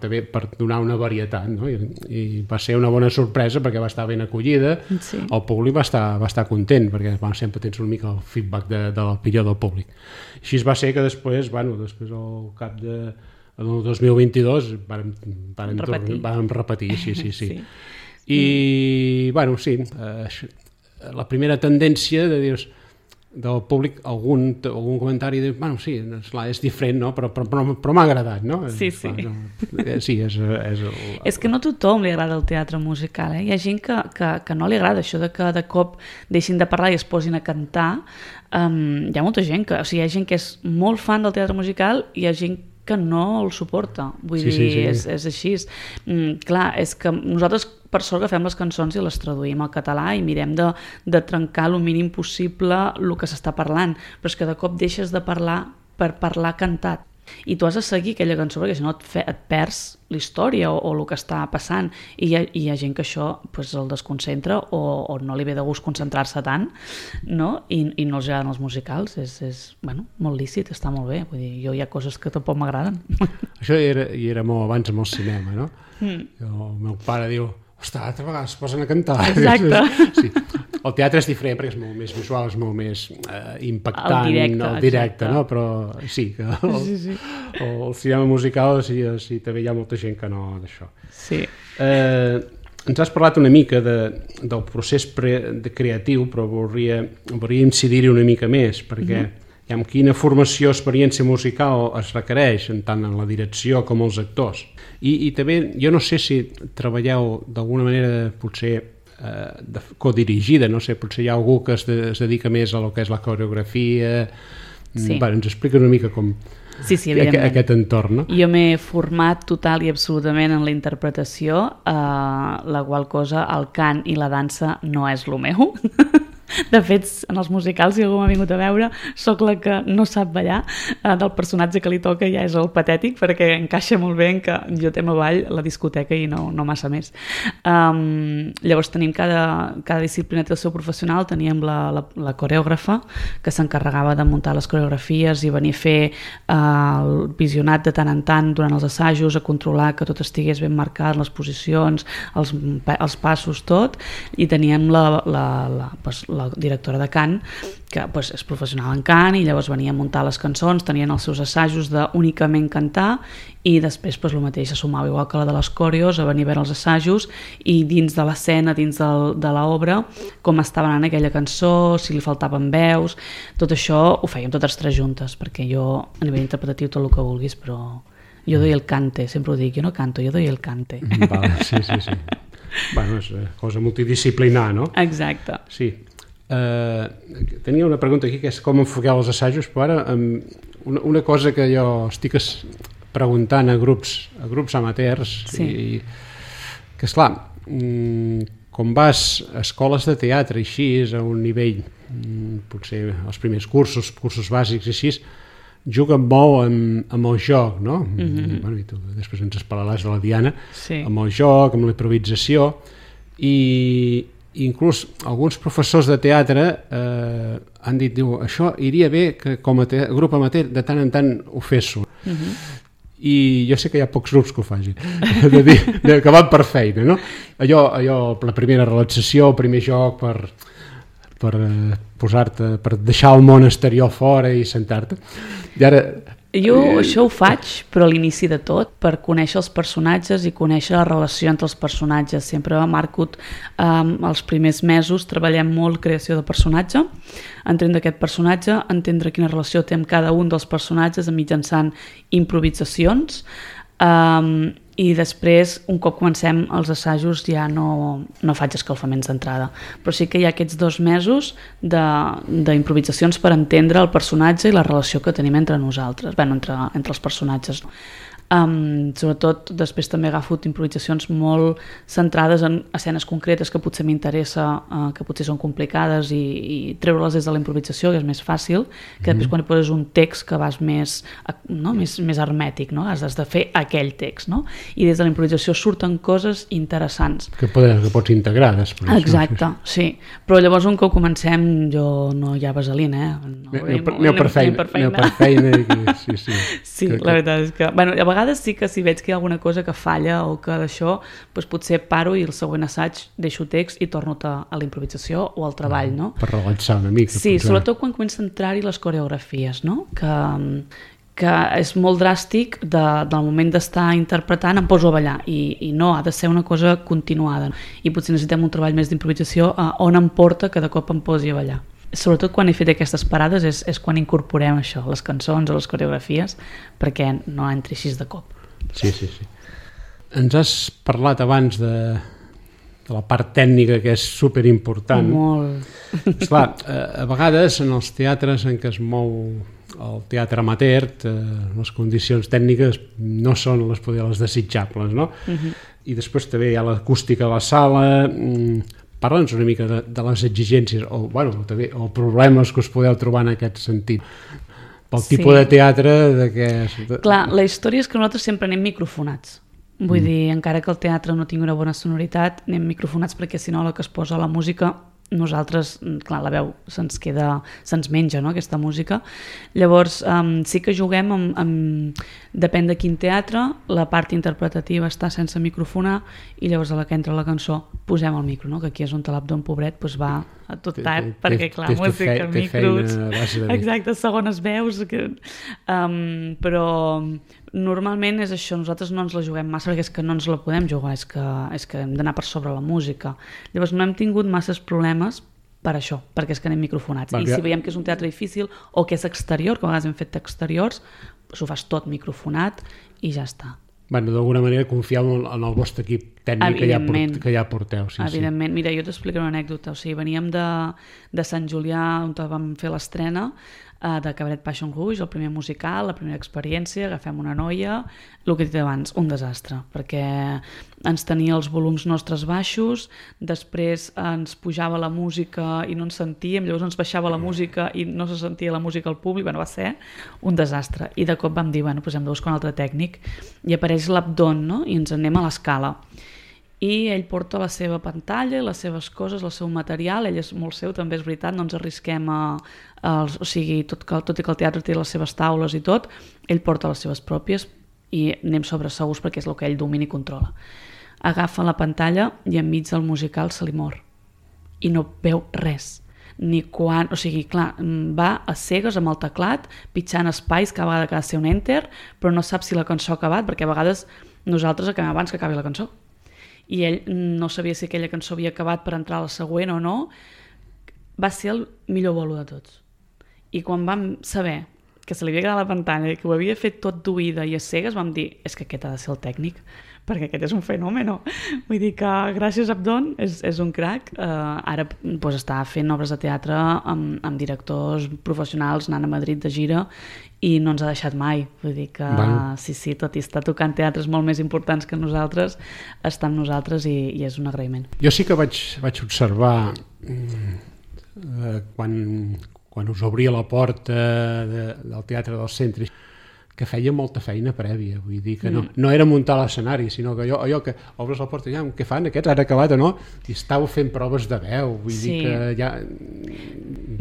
donar una varietat, no? I va ser una bona sorpresa perquè va estar ben acollida, el públic va estar content, perquè sempre tens una mica el feedback de l'opinió del públic. Així va ser que després al cap del 2022 vam repetir, sí. I, bueno, sí, la primera tendència de dir del públic, algun comentari de, bueno, sí, és diferent, no? Però m'ha agradat, no? Sí. Sí, és que no a tothom li agrada el teatre musical, Hi ha gent que no li agrada això de que de cop deixin de parlar i es posin a cantar. Hi ha molta gent hi ha gent que és molt fan del teatre musical i hi ha gent que no el suporta, vull dir, és així. Clar, és que nosaltres per sort agafem les cançons i les traduïm al català i mirem de trencar el mínim possible el que s'està parlant, però és que de cop deixes de parlar per parlar cantat i tu has de seguir aquella cançó perquè si no et perds la història o el que està passant i hi ha gent que això el desconcentra o no li ve de gust concentrar-se tant, no? I no els agraden els musicals, és molt lícit, està molt bé, vull dir, jo hi ha coses que tampoc m'agraden. Això era molt abans amb el cinema, no? El meu pare diu, ostres, altra vegada es posen a cantar. Exacte. Sí. El teatre és diferent perquè és molt més visual, és molt més impactant, el directe, no? Però sí, que el cinema musical sí, també hi ha molta gent que no d'això. Sí. Ens has parlat una mica del procés creatiu, però voldria incidir-hi una mica més, perquè quina formació o experiència musical es requereix, tant en la direcció com els actors. I també, jo no sé si treballeu d'alguna manera potser codirigida, no sé, potser hi ha algú que es dedica més a lo que és la coreografia. Sí. Ens explica una mica com aquest entorn, no? Jo m'he format total i absolutament en la interpretació, la qual cosa, el cant i la dansa no és el meu. De fet, en els musicals, si algú m'ha vingut a veure, sóc la que no sap ballar, del personatge que li toca ja és el patètic, perquè encaixa molt bé en que jo tema ball la discoteca i no massa més. Llavors tenim cada disciplina té el seu professional, teníem la coreògrafa, que s'encarregava de muntar les coreografies i venir a fer el visionat de tant en tant durant els assajos, a controlar que tot estigués ben marcat, les posicions, els passos, tot, i teníem la directora de cant, que és professional en cant i llavors venia a muntar les cançons, tenien els seus assajos d'únicament cantar i després el mateix se sumava igual que la de les coreos a venir a veure els assajos i dins de l'escena, dins de l'obra, com estava anant aquella cançó, si li faltaven veus, tot això ho fèiem totes tres juntes, perquè jo a nivell interpretatiu tot el que vulguis, però jo doy el cante, sempre ho dic, jo no canto, jo doy el cante. Vale, sí. Bueno, és cosa multidisciplinar, no? Exacte. Sí. Tenia una pregunta aquí que és com enfoqueu els assajos, però ara una cosa que jo estic preguntant a grups amateurs que esclar, com vas a escoles de teatre i així a un nivell, potser els primers cursos bàsics i així, juguen molt amb el joc, no? Bueno, i tu després ens parlaràs de la Diana, amb el joc, amb la improvisació, i inclús alguns professors de teatre han dit, això iria bé que com a grup amateur de tant en tant ho féssiu. I jo sé que hi ha pocs grups que ho facin, que van per feina, no? Allò, la primera relaxació, el primer joc per posar-te, per deixar el món exterior fora i sentar-te. I ara... Jo això ho faig, però a l'inici de tot, per conèixer els personatges i conèixer la relació entre els personatges. Sempre a Marcut, els primers mesos, treballem molt creació de personatge, entendre aquest personatge, entendre quina relació té amb cada un dels personatges mitjançant improvisacions, i després, un cop comencem els assajos, ja no faig escalfaments d'entrada. Però sí que hi ha aquests 2 mesos d'improvisacions per entendre el personatge i la relació que tenim entre nosaltres, entre els personatges. Sobretot després també agafo improvisacions molt centrades en escenes concretes que potser m'interessa, que potser són complicades i treure-les des de la improvisació, que és més fàcil, que després quan hi poses un text que vas més hermètic, no? Has de fer aquell text, no? I des de la improvisació surten coses interessants. Que pots integrar després. Exacte, sí. Però llavors un cop comencem jo no hi ha vaselina, Aneu per feina. Sí, la veritat és que... Bueno, a vegades sí que si veig que hi ha alguna cosa que falla o que d'això, doncs potser paro i el següent assaig deixo text i torno a la improvisació o al treball, no? Per relaxar una mica. Sí, sobretot quan comença a entrar-hi les coreografies, no? Que és molt dràstic del moment d'estar interpretant em poso a ballar i no, ha de ser una cosa continuada i potser necessitem un treball més d'improvisació on em porta que de cop em posi a ballar. Sobretot quan he fet aquestes parades és quan incorporem això, les cançons o les coreografies, perquè no entri així de cop. Sí. Ens has parlat abans de la part tècnica, que és superimportant. Molt. Esclar, a vegades en els teatres en què es mou el teatre amateur, les condicions tècniques no són les desitjables, no? I després també hi ha l'acústica de la sala. Parla'ns una mica de les exigències o problemes que us podeu trobar en aquest sentit. Pel tipus de teatre Clar, la història és que nosaltres sempre anem microfonats. Vull dir, encara que el teatre no tingui una bona sonoritat, anem microfonats perquè si no la que es posa la música nosaltres, clar, la veu se'ns menja, no?, aquesta música. Llavors, sí que juguem depèn de quin teatre, la part interpretativa està sense microfonar i llavors a la que entra la cançó posem el micro, no?, que aquí és on l'Abdon, pobret, va a tot tard, perquè clar, música, micros, exacte, segones veus, però normalment és això, nosaltres no ens la juguem massa perquè és que no ens la podem jugar, és que hem d'anar per sobre la música. Llavors no hem tingut masses problemes per això, perquè és que anem microfonats. I si veiem que és un teatre difícil o que és exterior, que a vegades hem fet exteriors, s'ho fas tot microfonat i ja està. Bueno, d'alguna manera confieu en el vostre equip tècnic que ja porteu. Sí, evidentment. Mira, jo t'explicaré una anècdota. O sigui, veníem de Sant Julià, on vam fer l'estrena, de Cabaret Passion Rouge, el primer musical, la primera experiència, agafem una noia, el que he dit abans, un desastre, perquè ens tenia els volums nostres baixos, després ens pujava la música i no ens sentíem, llavors ens baixava la música i no se sentia la música al públic, va ser un desastre. I de cop vam dir, doncs hem de buscar un altre tècnic, i apareix l'Abdon, no?, i ens anem a l'escala. I ell porta la seva pantalla, les seves coses, el seu material, ell és molt seu, també és veritat, no ens arrisquem o sigui, tot i que el teatre té les seves taules i tot, ell porta les seves pròpies i anem sobre segurs perquè és el que ell domina i controla. Agafa la pantalla i enmig del musical se li mor i no veu res. Ni quan, o sigui, clar, va a cegues amb el teclat, pitjant espais, cada vegada que ha de ser un enter, però no sap si la cançó ha acabat, perquè a vegades nosaltres acabem abans que acabi la cançó. I ell no sabia si aquella cançó havia acabat per entrar a la següent o no. Va ser el millor bolo de tots. I quan vam saber que se li havia quedat la pantalla i que ho havia fet tot d'oïda i a cegues, vam dir, és que aquest ha de ser el tècnic, perquè aquest és un fenomen. Vull dir que gràcies a Abdon és un crac. Ara està fent obres de teatre amb directors professionals, anant a Madrid de gira, i no ens ha deixat mai. Vull dir que sí, tot i estar tocant teatres molt més importants que nosaltres, està amb nosaltres i és un agraïment. Jo sí que vaig observar quan us obria la porta del Teatre del Centre, que feia molta feina prèvia, vull dir que no era muntar l'escenari, sinó que allò que obres la porta, ja, què fan aquests, han acabat o no? I estàveu fent proves de veu, vull dir que ja...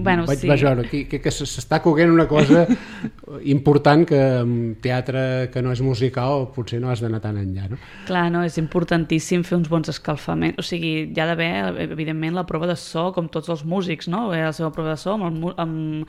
vaig veure aquí que s'està coguent una cosa important que en teatre que no és musical potser no has d'anar tan enllà, no? Clar, no, és importantíssim fer uns bons escalfaments, o sigui, hi ha d'haver, evidentment, la prova de so, com tots els músics, no? La seva prova de so, amb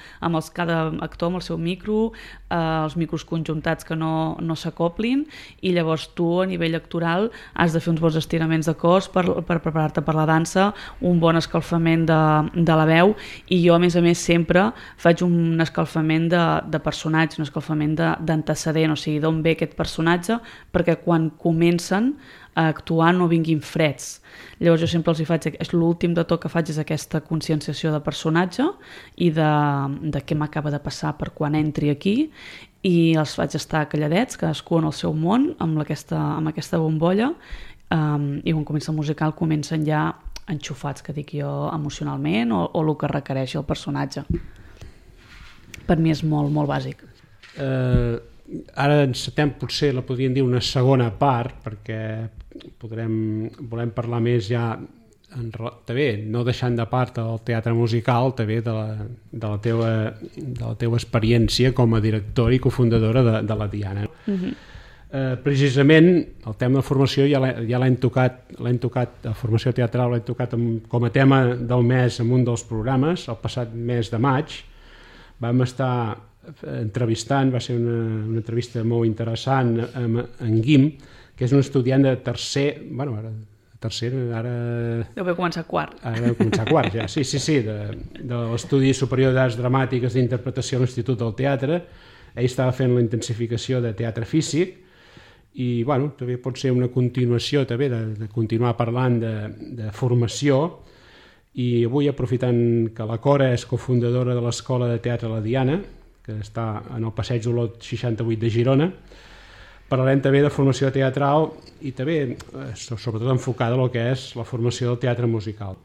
cada actor amb el seu micro, els micros conjuntats que no s'acoplin, i llavors tu a nivell actoral has de fer uns bons estiraments de cos per preparar-te per la dansa, un bon escalfament de la veu, i jo a més sempre faig un escalfament de personal personatge, un escalfament d'antecedent, o sigui, d'on ve aquest personatge, perquè quan comencen a actuar no vinguin freds. Llavors jo sempre els hi faig, l'últim de tot que faig és aquesta conscienciació de personatge i de què m'acaba de passar per quan entri aquí, i els faig estar calladets, cadascú en el seu món, amb aquesta bombolla, i quan comença el musical comencen ja enxufats, que dic jo, emocionalment o el que requereix el personatge. Per mi és molt, molt bàsic. Ara encetem, potser la podríem dir una segona part, perquè volem parlar més ja, també, no deixant de part el teatre musical, també de la teva experiència com a directora i cofundadora de la Diana. Precisament el tema de formació ja l'hem tocat, la formació teatral l'hem tocat com a tema del mes en un dels programes, el passat mes de maig. Vam estar entrevistant, va ser una entrevista molt interessant amb en Guim, que és un estudiant de tercer, ara... Deu haver començat quart. Ara deu començar quart, ja. Sí, de l'Estudi Superior d'Arts Dramàtiques d'Interpretació a l'Institut del Teatre. Ell estava fent la intensificació de teatre físic i, també pot ser una continuació també de continuar parlant de formació. I avui, aprofitant que la Cora és cofundadora de l'Escola de Teatre La Diana, que està en el Passeig Olot 68 de Girona, parlarem també de formació teatral i també, sobretot, enfocada en el que és la formació del teatre musical.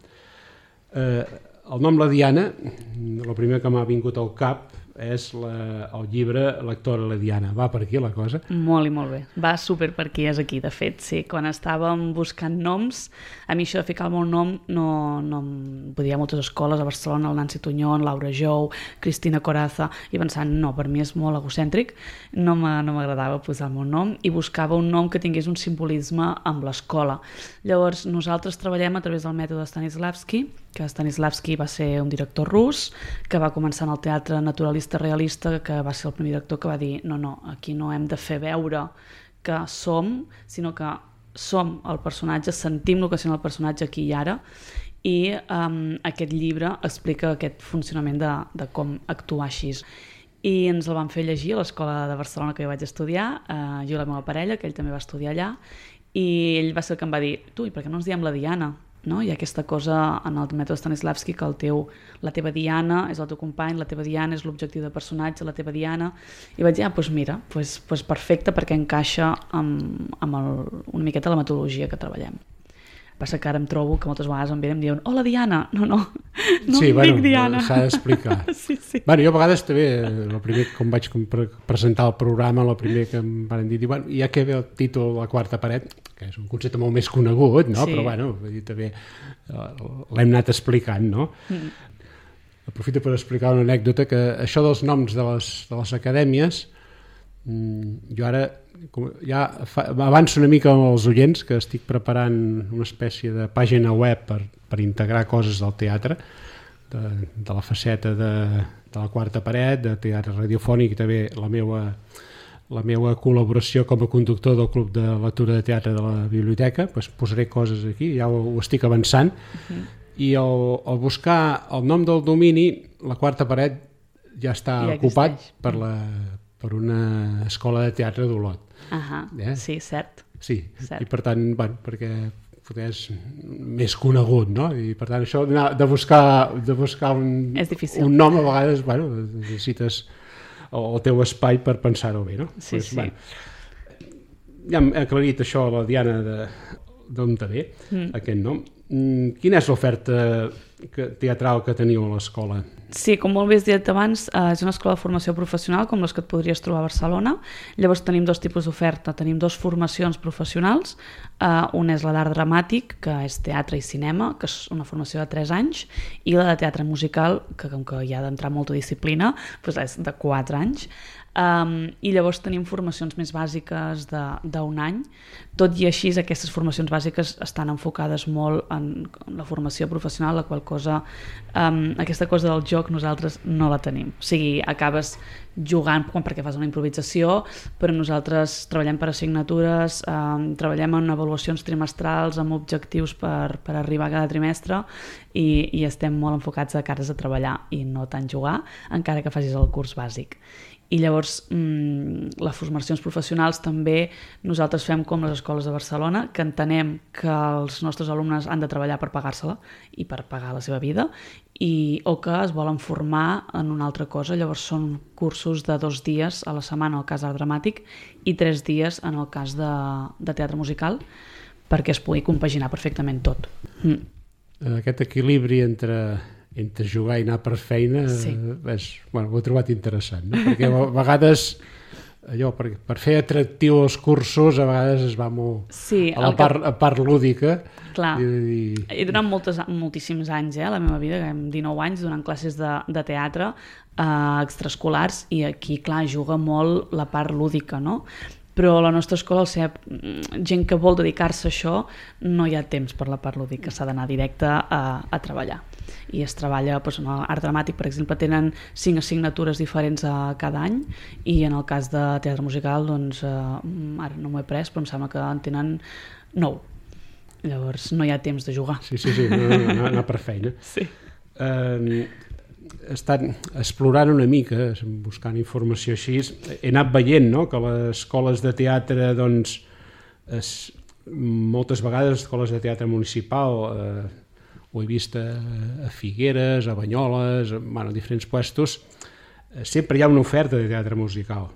El nom La Diana, el primer que m'ha vingut al cap és el llibre Lectora La Diana. Va per aquí la cosa? Molt i molt bé. Va super per aquí, és aquí, de fet. Sí, quan estàvem buscant noms, a mi això de ficar el meu nom no em podia moltes escoles, a Barcelona, el Nancy Tuñón, Laura Jou, Cristina Coraza, i pensant, no, per mi és molt egocèntric, no m'agradava posar el meu nom, i buscava un nom que tingués un simbolisme amb l'escola. Llavors, nosaltres treballem a través del mètode Stanislavski, que Stanislavski va ser un director rus, que va començar en el teatre naturalista realista, que va ser el primer director que va dir no, aquí no hem de fer veure que som, sinó que som el personatge, sentim el que sent el personatge aquí i ara, i aquest llibre explica aquest funcionament de com actuar així. I ens el van fer llegir a l'Escola de Barcelona que jo vaig estudiar, jo i la meva parella, que ell també va estudiar allà, i ell va ser el que em va dir, tu, i per què no ens diem La Diana? No? Hi ha aquesta cosa en el mètode Stanislavski que la teva Diana és el teu company, la teva Diana és l'objectiu de personatge, la teva Diana, i vaig dir, doncs mira, perfecte, perquè encaixa amb una miqueta la metodologia que treballem. Passa que ara em trobo que moltes vegades em venen i em diuen hola Diana, no sí, dic Diana. S'ha d'explicar. Sí. Jo a vegades també, el primer quan vaig presentar el programa, el primer que em van dir, ja que ve el títol La quarta paret, que és un concepte molt més conegut, no? Sí. Però també l'hem anat explicant, no? Aprofito per explicar una anècdota, que això dels noms de les acadèmies, jo ara ja avanço una mica als oients que estic preparant una espècie de pàgina web per integrar coses del teatre, de la faceta de la quarta paret, de teatre radiofònic, i també la meva col·laboració com a conductor del Club de Lectura de Teatre de la Biblioteca. Posaré coses aquí, ja ho estic avançant. I al buscar el nom del domini, la quarta paret ja està ocupat per una escola de teatre d'Olot. Sí, cert. Sí, i per tant, perquè és més conegut, no? I per tant això de buscar un nom, a vegades necessites el teu espai per pensar-ho bé, no? Sí. Ja hem aclarit això, la Diana, d'on te ve aquest nom. Quina és l'oferta teatral que teniu a l'escola? Sí, com molt bé has dit abans, és una escola de formació professional com les que et podries trobar a Barcelona. Llavors tenim dos tipus d'oferta. Tenim dues formacions professionals. Una és la d'art dramàtic, que és teatre i cinema, que és una formació de 3 anys, i la de teatre musical, que com que hi ha d'entrar molta disciplina, doncs és de 4 anys. I llavors tenim formacions més bàsiques d'un any. Tot i així, aquestes formacions bàsiques estan enfocades molt en la formació professional, la qual cosa, aquesta cosa del joc nosaltres no la tenim. O sigui, acabes jugant perquè fas una improvisació, però nosaltres treballem per assignatures, treballem en avaluacions trimestrals amb objectius per arribar a cada trimestre i estem molt enfocats a cares a treballar i no tant jugar, encara que facis el curs bàsic. I llavors les formacions professionals també nosaltres fem com les escoles de Barcelona, que entenem que els nostres alumnes han de treballar per pagar-se-la i per pagar la seva vida, o que es volen formar en una altra cosa. Llavors són cursos de 2 dies a la setmana en el cas d'art dramàtic i 3 dies en el cas de teatre musical, perquè es pugui compaginar perfectament tot. Aquest equilibri entre jugar i anar per feina, ho he trobat interessant, no? Perquè a vegades allò, per fer atractiu els cursos, a vegades es va molt a la part lúdica. Clar, i durant moltíssims anys, la meva vida, 19 anys, donant classes de teatre extraescolars, i aquí, clar, juga molt la part lúdica, no? Però a la nostra escola, al ser gent que vol dedicar-se a això, no hi ha temps per la part lúdica, s'ha d'anar directe a treballar. I es treballa, en l'art dramàtic, per exemple, tenen 5 assignatures diferents cada any, i en el cas de teatre musical, doncs, ara no m'ho he pres, però em sembla que en tenen 9. Llavors no hi ha temps de jugar. Sí, anar per feina. Sí. He estat explorant una mica, buscant informació així, he anat veient, no?, que les escoles de teatre, doncs, moltes vegades escoles de teatre municipal, ho he vist a Figueres, a Banyoles, a diferents puestos, sempre hi ha una oferta de teatre musical.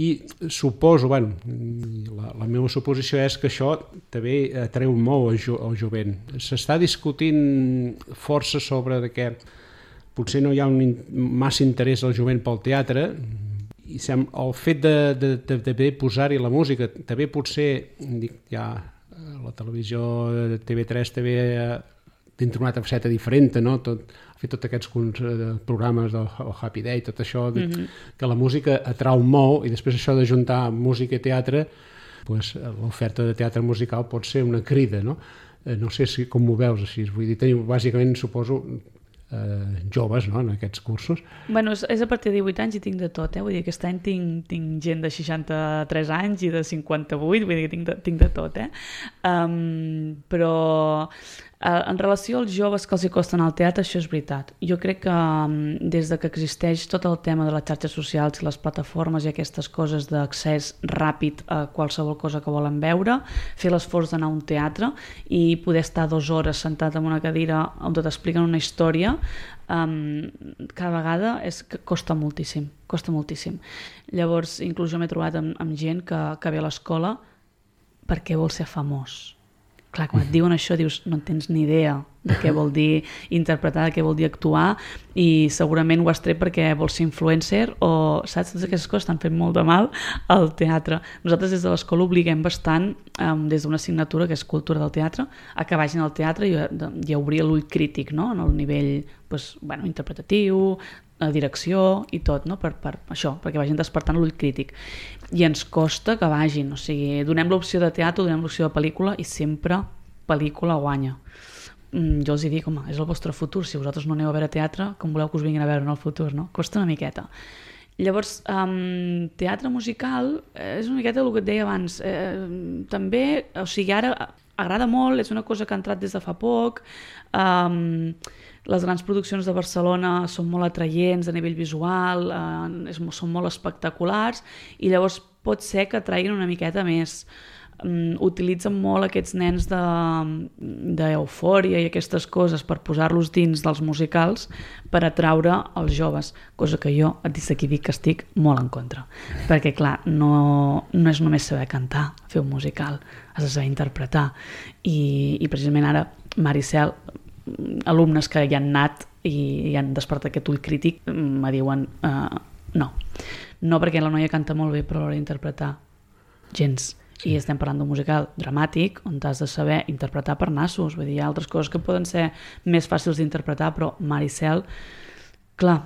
I suposo, la meva suposició és que això també atreu molt el jovent. S'està discutint força sobre que potser no hi ha massa interès del jovent pel teatre, i el fet de posar-hi la música, també potser, ja la televisió de TV3 també dintre una altra faceta diferent, no? Ha fet tots aquests programes del Happy Day, tot això, que la música atrau molt, i després això de juntar música i teatre, l'oferta de teatre musical pot ser una crida, no? No sé com ho veus així, vull dir, teniu bàsicament, suposo, joves, no?, en aquests cursos. Bueno, és a partir de 18 anys i tinc de tot, vull dir, aquest any tinc gent de 63 anys i de 58, vull dir que tinc de tot, però en relació als joves que els hi costen al teatre, això és veritat. Jo crec que des de que existeix tot el tema de les xarxes socials i les plataformes i aquestes coses d'accés ràpid a qualsevol cosa que volen veure, fer l'esforç d'anar a un teatre i poder estar 2 hores sentat en una cadira on t'expliquen una història, cada vegada costa moltíssim, costa moltíssim. Llavors, inclús jo m'he trobat amb gent que ve a l'escola perquè vol ser famós. Clar, quan et diuen això dius, no tens ni idea de què vol dir interpretar, de què vol dir actuar, i segurament ho has tret perquè vols ser influencer o, saps, totes aquestes coses estan fent molt de mal al teatre. Nosaltres des de l'escola obliguem bastant, des d'una assignatura que és cultura del teatre, a que vagin al teatre i a obrir l'ull crític, no?, en el nivell interpretatiu, direcció i tot, no?, per això, perquè vagin despertant l'ull crític. I ens costa que vagin, o sigui, donem l'opció de teatre, donem l'opció de pel·lícula i sempre pel·lícula guanya. Jo els dic, home, és el vostre futur, si vosaltres no aneu a veure teatre, com voleu que us vinguin a veure en el futur, no? Costa una miqueta. Llavors, teatre musical és una miqueta el que et deia abans. També, o sigui, ara agrada molt, és una cosa que ha entrat des de fa poc, les grans produccions de Barcelona són molt atraients a nivell visual, són molt espectaculars, i llavors pot ser que atraguin una miqueta més. Utilitzen molt aquests nens d'eufòria i aquestes coses per posar-los dins dels musicals per atraure els joves, cosa que jo des d'aquí dic que estic molt en contra, perquè clar, no és només saber cantar, fer un musical, has de saber interpretar, i precisament ara Maricel, alumnes que hi han anat i han despertat aquest ull crític, me diuen no, perquè la noia canta molt bé, però a l'hora d'interpretar gens. I estem parlant d'un musical dramàtic on has de saber interpretar per nassos, vull dir, hi ha altres coses que poden ser més fàcils d'interpretar, però Maricel, clar,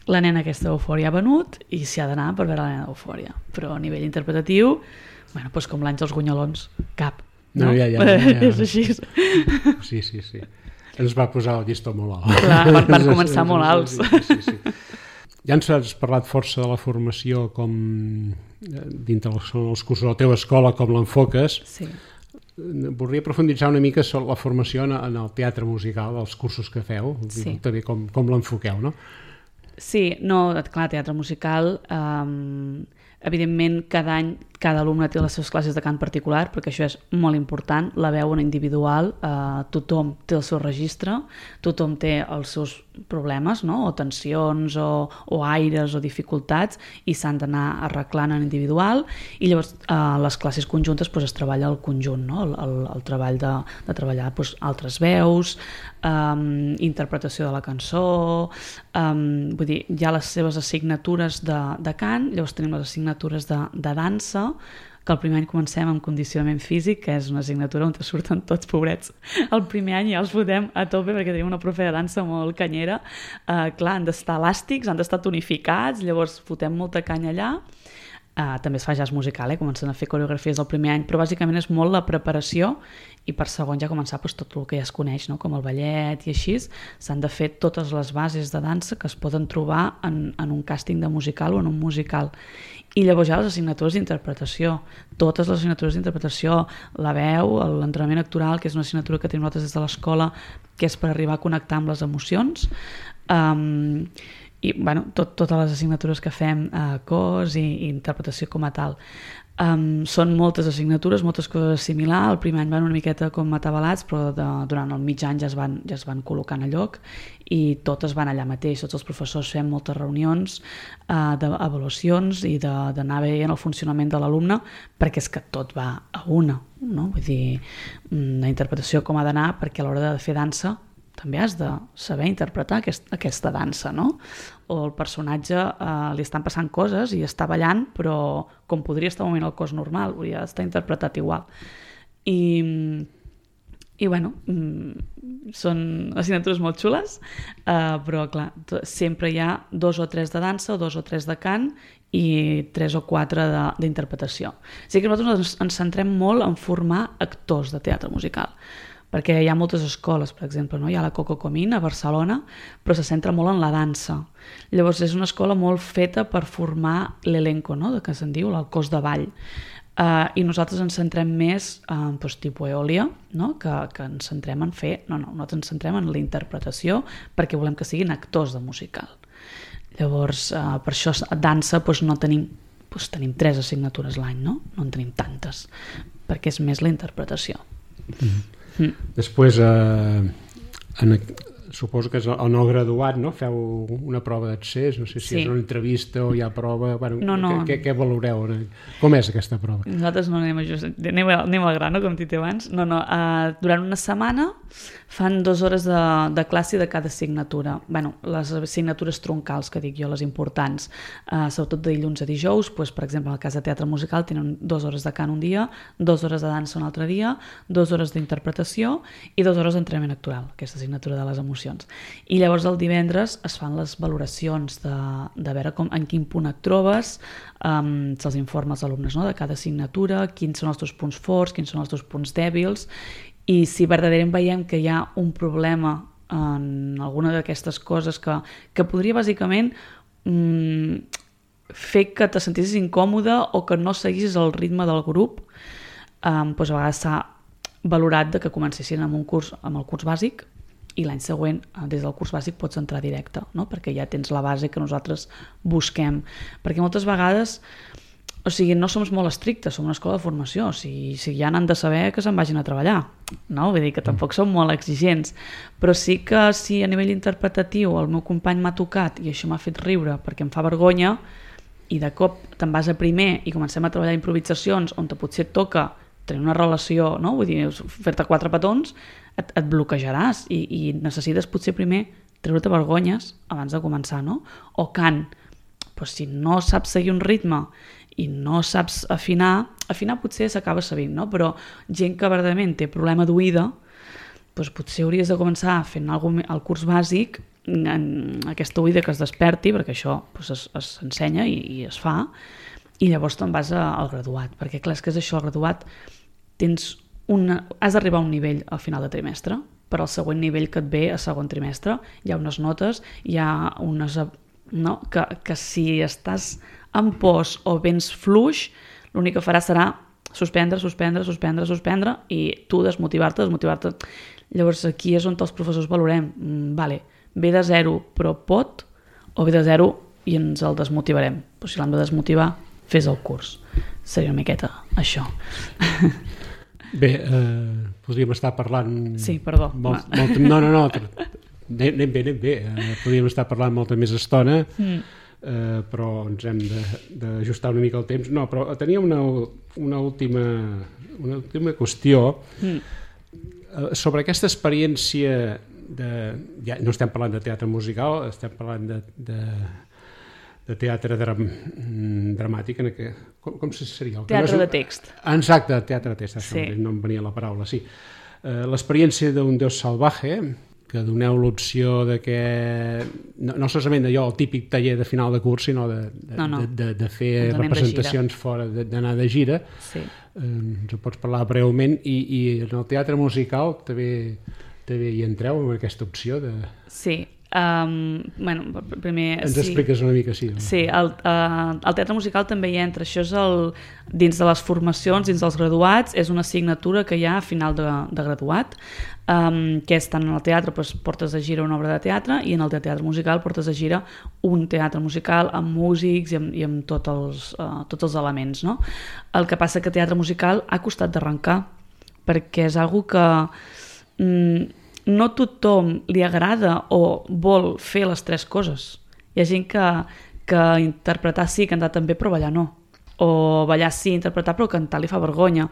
la nena aquesta d'Eufòria ha venut i s'hi ha d'anar per veure la nena d'Eufòria, però a nivell interpretatiu, doncs com l'Àngels Gunyalons, cap. No, ja. És així. Sí. Ens va posar el llistó molt alt. Clar, van començar molt alts. Sí. Ja ens has parlat força de la formació com dintre els cursos de la teva escola, com l'enfoques. Sí. Voldria profunditzar una mica sobre la formació en el teatre musical, els cursos que feu, també com l'enfoqueu, no? Sí, no, clar, teatre musical, evidentment cada any cada alumne té les seves classes de cant particular, perquè això és molt important, la veuen individual, tothom té el seu registre, tothom té els seus problemes, no? O tensions, o aires, o dificultats, i s'han d'anar arreglant en individual, i llavors les classes conjuntes es treballa el conjunt, no? El treball de treballar altres veus, interpretació de la cançó, vull dir, hi ha les seves assignatures de cant, llavors tenim les assignatures de dansa, que el primer any comencem amb condicionament físic, que és una assignatura on surten tots pobrets. El primer any ja els fotem a tope perquè tenim una profe de dansa molt canyera. Clar, han d'estar elàstics, han d'estar tonificats, llavors fotem molta canya allà. També es fa jazz musical, comencen a fer coreografies el primer any, però bàsicament és molt la preparació i per segon ja començar tot el que ja es coneix, no? Com el ballet i així, s'han de fer totes les bases de dansa que es poden trobar en un càsting de musical o en un musical. I llavors ja les assignatures d'interpretació, totes les assignatures d'interpretació, la veu, l'entrenament actoral, que és una assignatura que tenim nosaltres des de l'escola, que és per arribar a connectar amb les emocions, i bueno, totes les assignatures que fem, cos i interpretació com a tal. Són moltes assignatures, moltes coses a assimilar. El primer any van una miqueta com atabalats, però durant el mig any ja es van col·locant a lloc i totes van allà mateix. Tots els professors fem moltes reunions d'avaluacions i d'anar veient el funcionament de l'alumne, perquè és que tot va a una, no? Vull dir, la interpretació com ha d'anar, perquè a l'hora de fer dansa també has de saber interpretar aquesta dansa, no? O el personatge li estan passant coses i està ballant, però com podria estar movent el cos normal, hauria d'estar interpretat igual. I bueno, són assignatures molt xules, però clar, sempre hi ha 2 o 3 de dansa, 2 o 3 de cant i 3 o 4 d'interpretació. O sigui que nosaltres ens centrem molt en formar actors de teatre musical, perquè hi ha moltes escoles, per exemple, no? Hi ha la Coco Comín a Barcelona, però se centra molt en la dansa. Llavors és una escola molt feta per formar l'elenco, no? Que se'n diu, el cos de ball. I nosaltres ens centrem més en tipus Eòlia, no? Que ens centrem en fer... No, nosaltres ens centrem en la interpretació perquè volem que siguin actors de musical. Llavors, per això a dansa no tenim 3 assignatures l'any, no? No en tenim tantes, perquè és més la interpretació. Després suposo que és el no graduat, no? Feu una prova d'accés, no sé si és una entrevista o hi ha prova, no. Què valoreu? Com és aquesta prova? Nosaltres no anem al grano, com dit abans. Durant una setmana fan 2 hores de classe de cada assignatura. Les assignatures troncals, que dic jo, les importants, sobretot de dilluns a dijous, per exemple, en el cas de teatre musical tenen 2 hores de cant un dia, 2 hores de dansa un altre dia, 2 hores d'interpretació i 2 hores d'entrenament actoral, aquesta assignatura de les emocions. I llavors el divendres es fan les valoracions de veure en quin punt et trobes, se'ls informa als alumnes, no? De cada assignatura, quins són els teus punts forts, quins són els teus punts dèbils, i si verdaderament veiem que hi ha un problema en alguna d'aquestes coses que podria bàsicament fer que te sentissis incòmode o que no seguissis el ritme del grup, a vegades s'ha valorat que comencessin amb el curs bàsic i l'any següent, des del curs bàsic, pots entrar directe, no? Perquè ja tens la base que nosaltres busquem. Perquè moltes vegades, no som molt estrictes, som una escola de formació, si ja n'han de saber que se'n vagin a treballar, no? Vull dir que tampoc som molt exigents, però sí que si a nivell interpretatiu el meu company m'ha tocat i això m'ha fet riure perquè em fa vergonya i de cop te'n vas a primer i comencem a treballar improvisacions on potser et toca tenir una relació, no? Vull dir, fer-te 4 petons, et bloquejaràs i necessites potser primer treure-te vergonyes abans de començar, no? O cant, si no saps seguir un ritme i no saps afinar potser s'acaba sabent, no? Però gent que verdaderament té problema d'oïda, potser hauries de començar fent el curs bàsic, aquesta oïda que es desperti, perquè això s'ensenya i es fa, i llavors te'n vas al graduat, perquè clar, és que és això, el graduat has d'arribar a un nivell al final de trimestre, per al següent nivell que et ve a segon trimestre, hi ha unes notes, hi ha unes... No? Que si estàs en pos o vens fluix, l'únic que faràs serà suspendre i tu desmotivar-te. Llavors aquí és on els professors valorem, ve de 0 però pot, o ve de zero i ens el desmotivarem. Però si l'hem de desmotivar, fes el curs. Seria una miqueta això. Bé, podríem estar parlant... Sí, perdó. No. Anem bé. Podríem estar parlant molta més estona, però ens hem d'ajustar una mica el temps. No, però tenia una última qüestió sobre aquesta experiència ja no estem parlant de teatre musical, estem parlant de teatre dramàtic, com seria? Teatre de text. Exacte, teatre de text, Sí. No em venia la paraula, sí. L'experiència d'un Déu salvaje, que doneu l'opció de que, no solament allò, el típic taller de final de curs, sinó de fer representacions fora, d'anar de gira. Sí. Ens ho pots parlar breument, i en el teatre musical també hi entreu amb aquesta opció de... Sí. Primer, ens expliques una mica, sí. Sí, el teatre musical també hi entra. Això és dins de les formacions, dins dels graduats, és una assignatura que hi ha a final de graduat, que és tant en el teatre, doncs, portes de gira una obra de teatre, i en el teatre musical portes de gira un teatre musical amb músics i amb tots els elements, no? El que passa que teatre musical ha costat d'arrencar, perquè és algo que no tothom li agrada o vol fer les tres coses. Hi ha gent que interpretar sí, cantar també, però ballar no. O ballar sí, interpretar, però cantar li fa vergonya.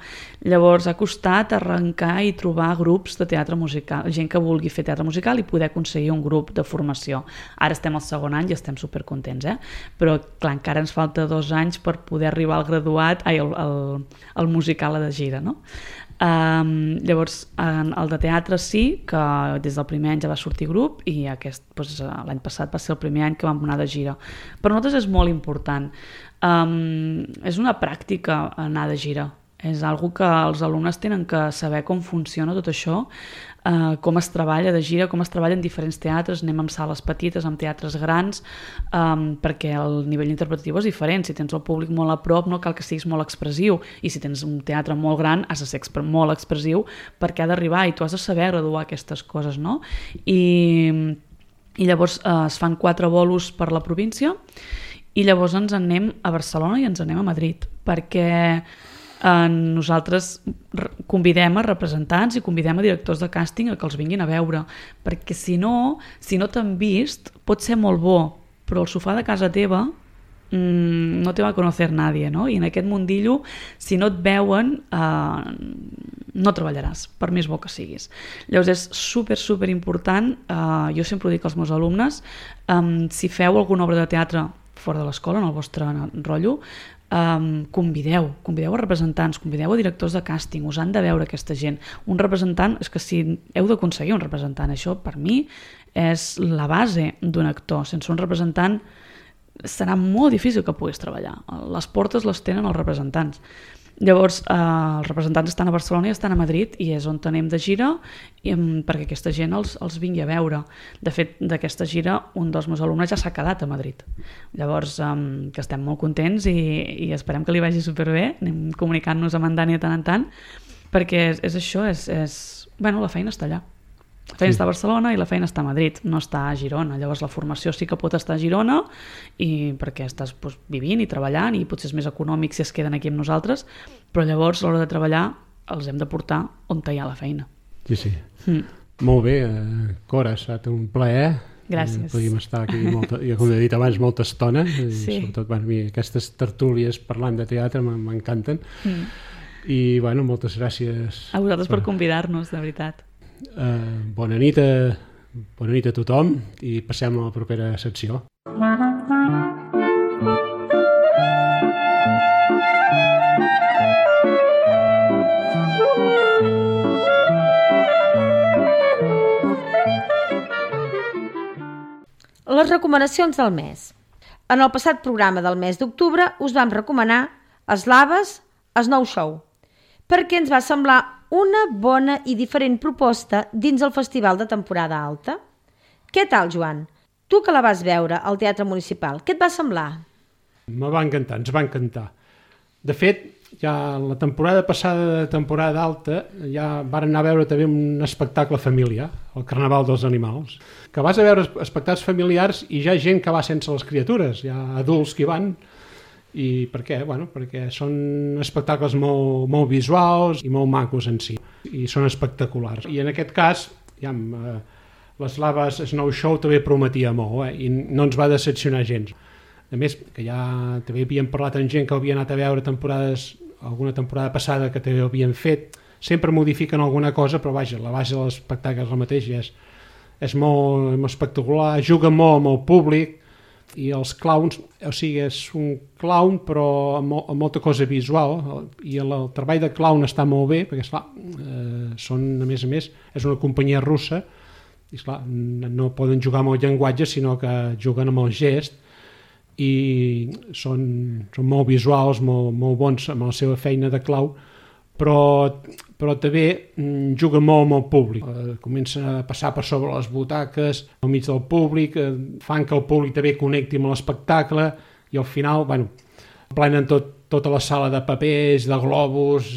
Llavors ha costat arrencar i trobar grups de teatre musical, gent que vulgui fer teatre musical i poder aconseguir un grup de formació. Ara estem al segon any i estem supercontents, però clar, encara ens falta 2 anys per poder arribar al graduat, al musical de gira, no? Llavors el de teatre sí, que des del primer any ja va sortir grup, i l'any passat va ser el primer any que vam anar de gira. Per nosaltres és molt important, és una pràctica anar de gira, és algo que els alumnes tenen que saber com funciona tot això, com es treballa de gira, com es treballa en diferents teatres. Anem amb sales petites, amb teatres grans, perquè el nivell interpretatiu és diferent. Si tens el públic molt a prop no cal que siguis molt expressiu, i si tens un teatre molt gran has de ser molt expressiu perquè ha d'arribar, i tu has de saber graduar aquestes coses, no? I llavors es fan 4 bolos per la província, i llavors ens anem a Barcelona i ens anem a Madrid, perquè nosaltres convidem a representants i convidem a directors de càsting a que els vinguin a veure, perquè si no t'han vist, pot ser molt bo, però el sofà de casa teva no te va a conocer nadie, no? I en aquest mundillo, si no et veuen, no treballaràs, per més bo que siguis. Llavors és super important, jo sempre ho dic als meus alumnes, si feu alguna obra de teatre fora de l'escola, en el vostre rotllo, convideu a representants, convideu a directors de càsting, us han de veure aquesta gent. Un representant, és que si heu d'aconseguir un representant, això per mi és la base d'un actor. Sense un representant serà molt difícil que puguis treballar. Les portes les tenen els representants. Llavors els representants estan a Barcelona i estan a Madrid, i és on anem de gira perquè aquesta gent els vingui a veure. De fet, d'aquesta gira un dels meus alumnes ja s'ha quedat a Madrid. Llavors que estem molt contents i esperem que li vagi superbé. Anem comunicant-nos amb en Dani de tant en tant, perquè és això, bueno, la feina està allà. La feina està a Barcelona i la feina està a Madrid, no està a Girona. Llavors la formació sí que pot estar a Girona, i perquè estàs vivint i treballant, i potser és més econòmic si es queden aquí amb nosaltres, però llavors a l'hora de treballar els hem de portar on hi ha la feina. Sí. Molt bé, Cora, ha estat un plaer. Gràcies. Podríem estar aquí, com he dit abans, molta estona, i sobretot aquestes tertúlies parlant de teatre m'encanten. I moltes gràcies a vosaltres per convidar-nos, de veritat. Bona nit a tothom, i passem a la propera secció. Les recomanacions del mes. En el passat programa del mes d'octubre us vam recomanar Eslaves, Snow Show, perquè ens va semblar una bona i diferent proposta dins el festival de temporada alta. Què tal, Joan? Tu que la vas veure al Teatre Municipal, què et va semblar? Me va encantar, ens va encantar. De fet, ja la temporada passada de temporada alta ja varen anar a veure també un espectacle familiar, el Carnaval dels Animals, que vas a veure espectacles familiars i hi ha gent que va sense les criatures, hi ha adults que hi van. I per què? Bueno, perquè són espectacles molt visuals i molt macos en si, i són espectaculars. I en aquest cas, ja, les Laves Snow Show també prometia molt, i no ens va decepcionar gens. A més, que ja també havíem parlat amb gent que havia anat a veure alguna temporada passada que també havien fet, sempre modifiquen alguna cosa, però vaja, la base de l'espectacle és la mateixa, és molt espectacular, juga molt amb el públic, i els clowns, o sigui, és un clown però amb molta cosa visual, i el treball de clown està molt bé, perquè esclar, són, a més, és una companyia russa, i esclar, no poden jugar amb el llenguatge, sinó que juguen amb el gest, i són molt visuals, molt bons amb la seva feina de clau, però també juga molt amb el públic. Comença a passar per sobre les butaques, al mig del públic, fan que el públic també connecti amb l'espectacle, i al final, plenen tota la sala de papers, de globus,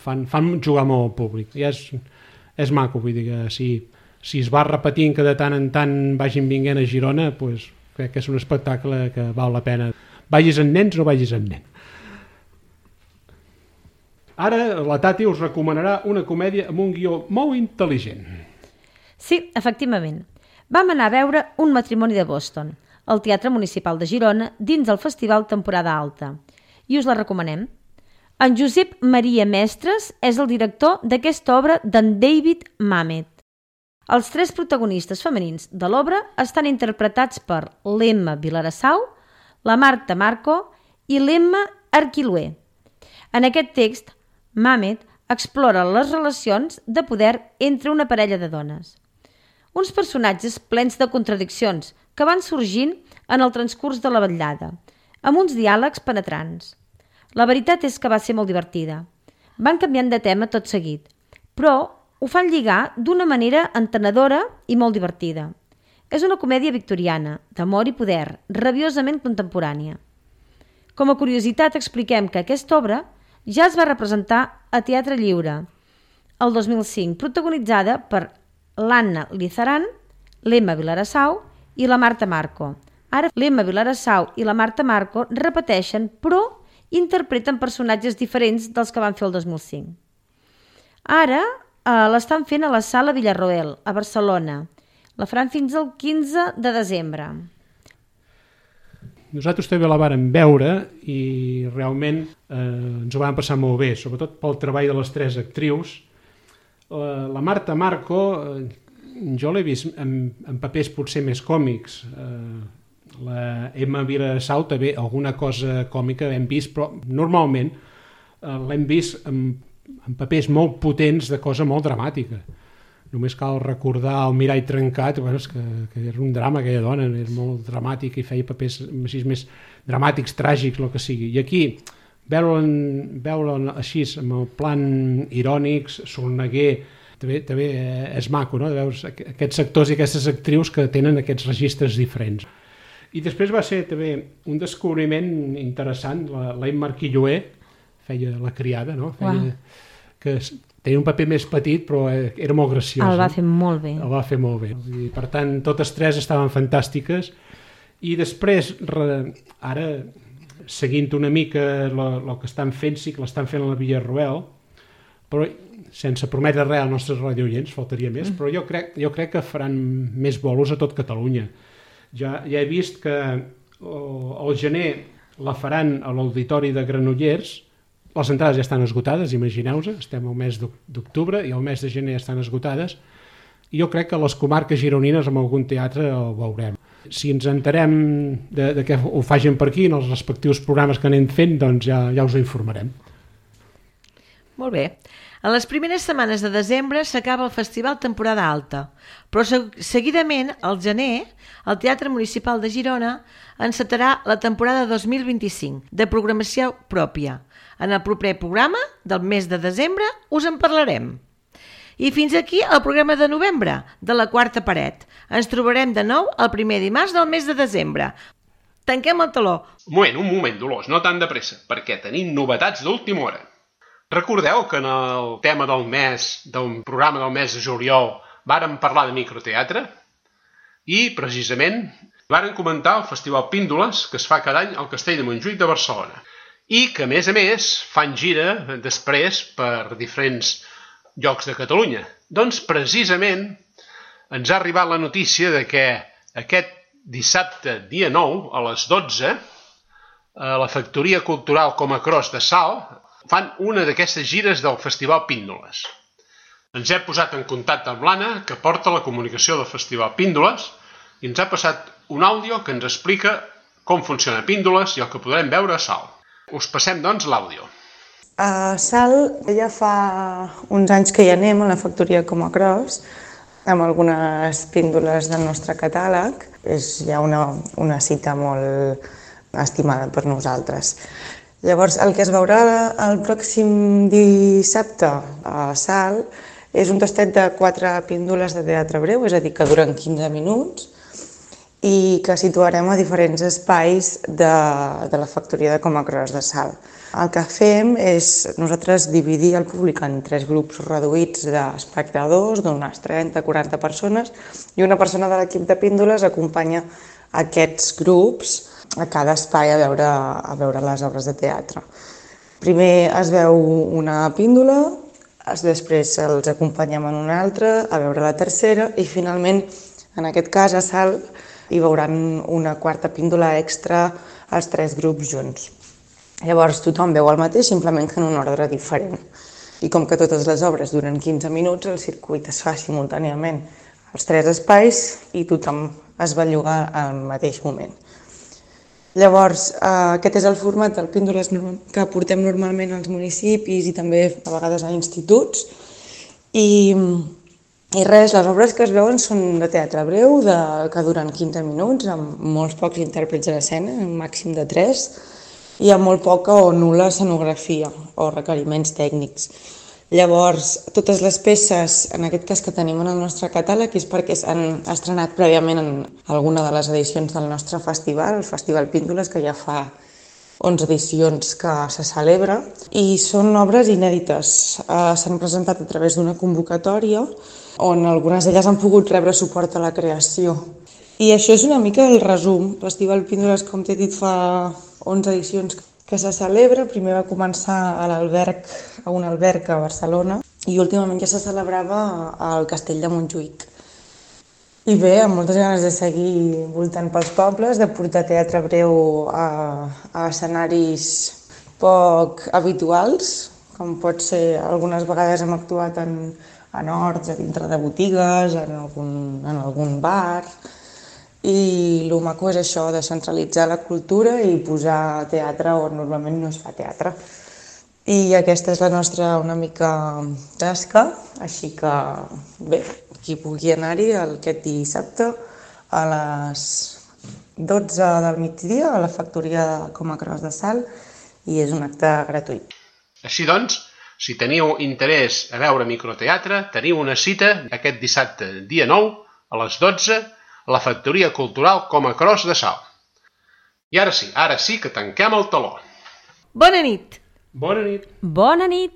fan jugar molt al públic. I és maco, vull dir que si es va repetint que de tant en tant vagin vinguent a Girona, doncs crec que és un espectacle que val la pena. Vagis amb nens o no vagis amb nens. Ara la Tati us recomanarà una comèdia amb un guió molt intel·ligent. Sí, efectivament. Vam anar a veure Un matrimoni de Boston, al Teatre Municipal de Girona, dins del Festival Temporada Alta. I us la recomanem. En Josep Maria Mestres és el director d'aquesta obra d'en David Mamet. Els 3 protagonistes femenins de l'obra estan interpretats per l'Emma Vilarassau, la Marta Marco i l'Emma Arquilué. En aquest text, Mamet explora les relacions de poder entre una parella de dones. Uns personatges plens de contradiccions que van sorgint en el transcurs de la vetllada, amb uns diàlegs penetrants. La veritat és que va ser molt divertida. Van canviant de tema tot seguit, però ho fan lligar d'una manera entenedora i molt divertida. És una comèdia victoriana, d'amor i poder, rabiosament contemporània. Com a curiositat expliquem que aquesta obra ja es va representar a Teatre Lliure el 2005, protagonitzada per l'Anna Lizaran, l'Emma Vilarassau i la Marta Marco. Ara l'Emma Vilarassau i la Marta Marco repeteixen, però interpreten personatges diferents dels que van fer el 2005. Ara l'estan fent a la Sala Villarroel, a Barcelona. La faran fins al 15 de desembre. Nosaltres també la vàrem veure i realment ens ho vam passar molt bé, sobretot pel treball de les 3 actrius. La Marta Marco, jo l'he vist en papers potser més còmics. La Emma Vilarassau també alguna cosa còmica hem vist, però normalment l'hem vist en papers molt potents de cosa molt dramàtica. Només cal recordar El mirall trencat, que era un drama aquella dona, era molt dramàtica i feia papers més dramàtics, tràgics, el que sigui. I aquí, veure'l així, amb el plan irònics, sorneguer, també és maco, no?, de veure aquests actors i aquestes actrius que tenen aquests registres diferents. I després va ser també un descobriment interessant, la Emma Arquilué, feia la criada, no? Que tenia un paper més petit, però era molt graciós. El va fer molt bé. El va fer molt bé. I, per tant, totes 3 estaven fantàstiques. I després, ara, seguint una mica el que estan fent, sí que l'estan fent a la Villarroel, però sense prometre res als nostres radioients, faltaria més, però jo crec que faran més bolos a tot Catalunya. Ja he vist que al gener la faran a l'Auditori de Granollers. Les entrades ja estan esgotades, imagineu-vos, estem al mes d'octubre i al mes de gener estan esgotades, i jo crec que a les comarques gironines en algun teatre ho veurem. Si ens enterem de que ho facin per aquí en els respectius programes que anem fent, doncs ja us ho informarem. Molt bé. En les primeres setmanes de desembre s'acaba el Festival Temporada Alta, però seguidament, al gener, el Teatre Municipal de Girona encetarà la temporada 2025 de programació pròpia. En el proper programa del mes de desembre us en parlarem. I fins aquí el programa de novembre de la Quarta Paret. Ens trobarem de nou el primer dimarts del mes de desembre. tanquem el taló. Un moment, Dolors, no tan de pressa, perquè tenim novetats d'última hora. Recordeu que en el tema del mes, del programa del mes de juliol, vàrem parlar de microteatre? I, precisament, vàrem comentar el Festival Píndoles, que es fa cada any al Castell de Montjuïc de Barcelona. I que, a més, fan gira després per diferents llocs de Catalunya. Doncs, precisament, ens ha arribat la notícia de que aquest dissabte, dia 9, a les 12, a la Factoria Cultural Comacros de Salt, fan una d'aquestes gires del Festival Píndoles. Ens hem posat en contacte amb l'Anna, que porta la comunicació del Festival Píndoles, i ens ha passat un àudio que ens explica com funciona Píndoles i el que podrem veure a Salt. Us passem, doncs, l'àudio. A Salt ja fa uns anys que hi anem, a la Factoria Comacros, amb algunes píndoles del nostre catàleg. És ja una cita molt estimada per nosaltres. Llavors, el que es veurà el pròxim dissabte a Salt és un tastet de 4 píndoles de teatre breu, és a dir, que duren 15 minuts, i que situarem a diferents espais de la Factoria de Comacros de Salt. El que fem és nosaltres dividir el públic en 3 grups reduïts d'espectadors, d'unes 30-40 persones, i una persona de l'equip de píndoles acompanya aquests grups a cada espai a veure les obres de teatre. Primer es veu una píndola, després els acompanyem en una altra, a veure la tercera, i finalment, en aquest cas, a Salt, hi veuran una quarta píndola extra als 3 grups junts. Llavors tothom veu el mateix, simplement que en un ordre diferent. I com que totes les obres duren 15 minuts, el circuit es fa simultàniament als 3 espais i tothom es va llogar al mateix moment. Llavors, aquest és el format del Píndoles que portem normalment als municipis i també a vegades a instituts. I res, les obres que es veuen són de teatre breu, que duren 15 minuts, amb molts pocs intèrprets a l'escena, un màxim de 3, i amb molt poca o nul·la escenografia o requeriments tècnics. Llavors, totes les peces, en aquest cas que tenim en el nostre catàleg, és perquè s'han estrenat prèviament en alguna de les edicions del nostre festival, el Festival Píndoles, que ja fa 11 edicions que se celebra, i són obres inèdites. S'han presentat a través d'una convocatòria on algunes d'elles han pogut rebre suport a la creació. I això és una mica el resum. El Festival Píndoles, com t'he dit, fa 11 edicions que se celebra. Primer va començar a un alberg a Barcelona i últimament ja se celebrava al Castell de Montjuïc. I bé, amb moltes ganes de seguir voltant pels pobles, de portar teatre breu a escenaris poc habituals, com pot ser, algunes vegades hem actuat en horts, a dintre de botigues, en algun bar. I el maco és això, descentralitzar la cultura i posar teatre on normalment no es fa teatre. I aquesta és la nostra una mica tasca, així que bé, qui pugui anar-hi aquest dissabte a les 12 del migdia a la Factoria Comacros de Salt i és un acte gratuït. Així doncs, si teniu interès a veure microteatre, teniu una cita aquest dissabte, dia 9, a les 12, a la Factoria Cultural Comacros de Salt. I ara sí que tanquem el taló. Bona nit! Bona nit! Bona nit!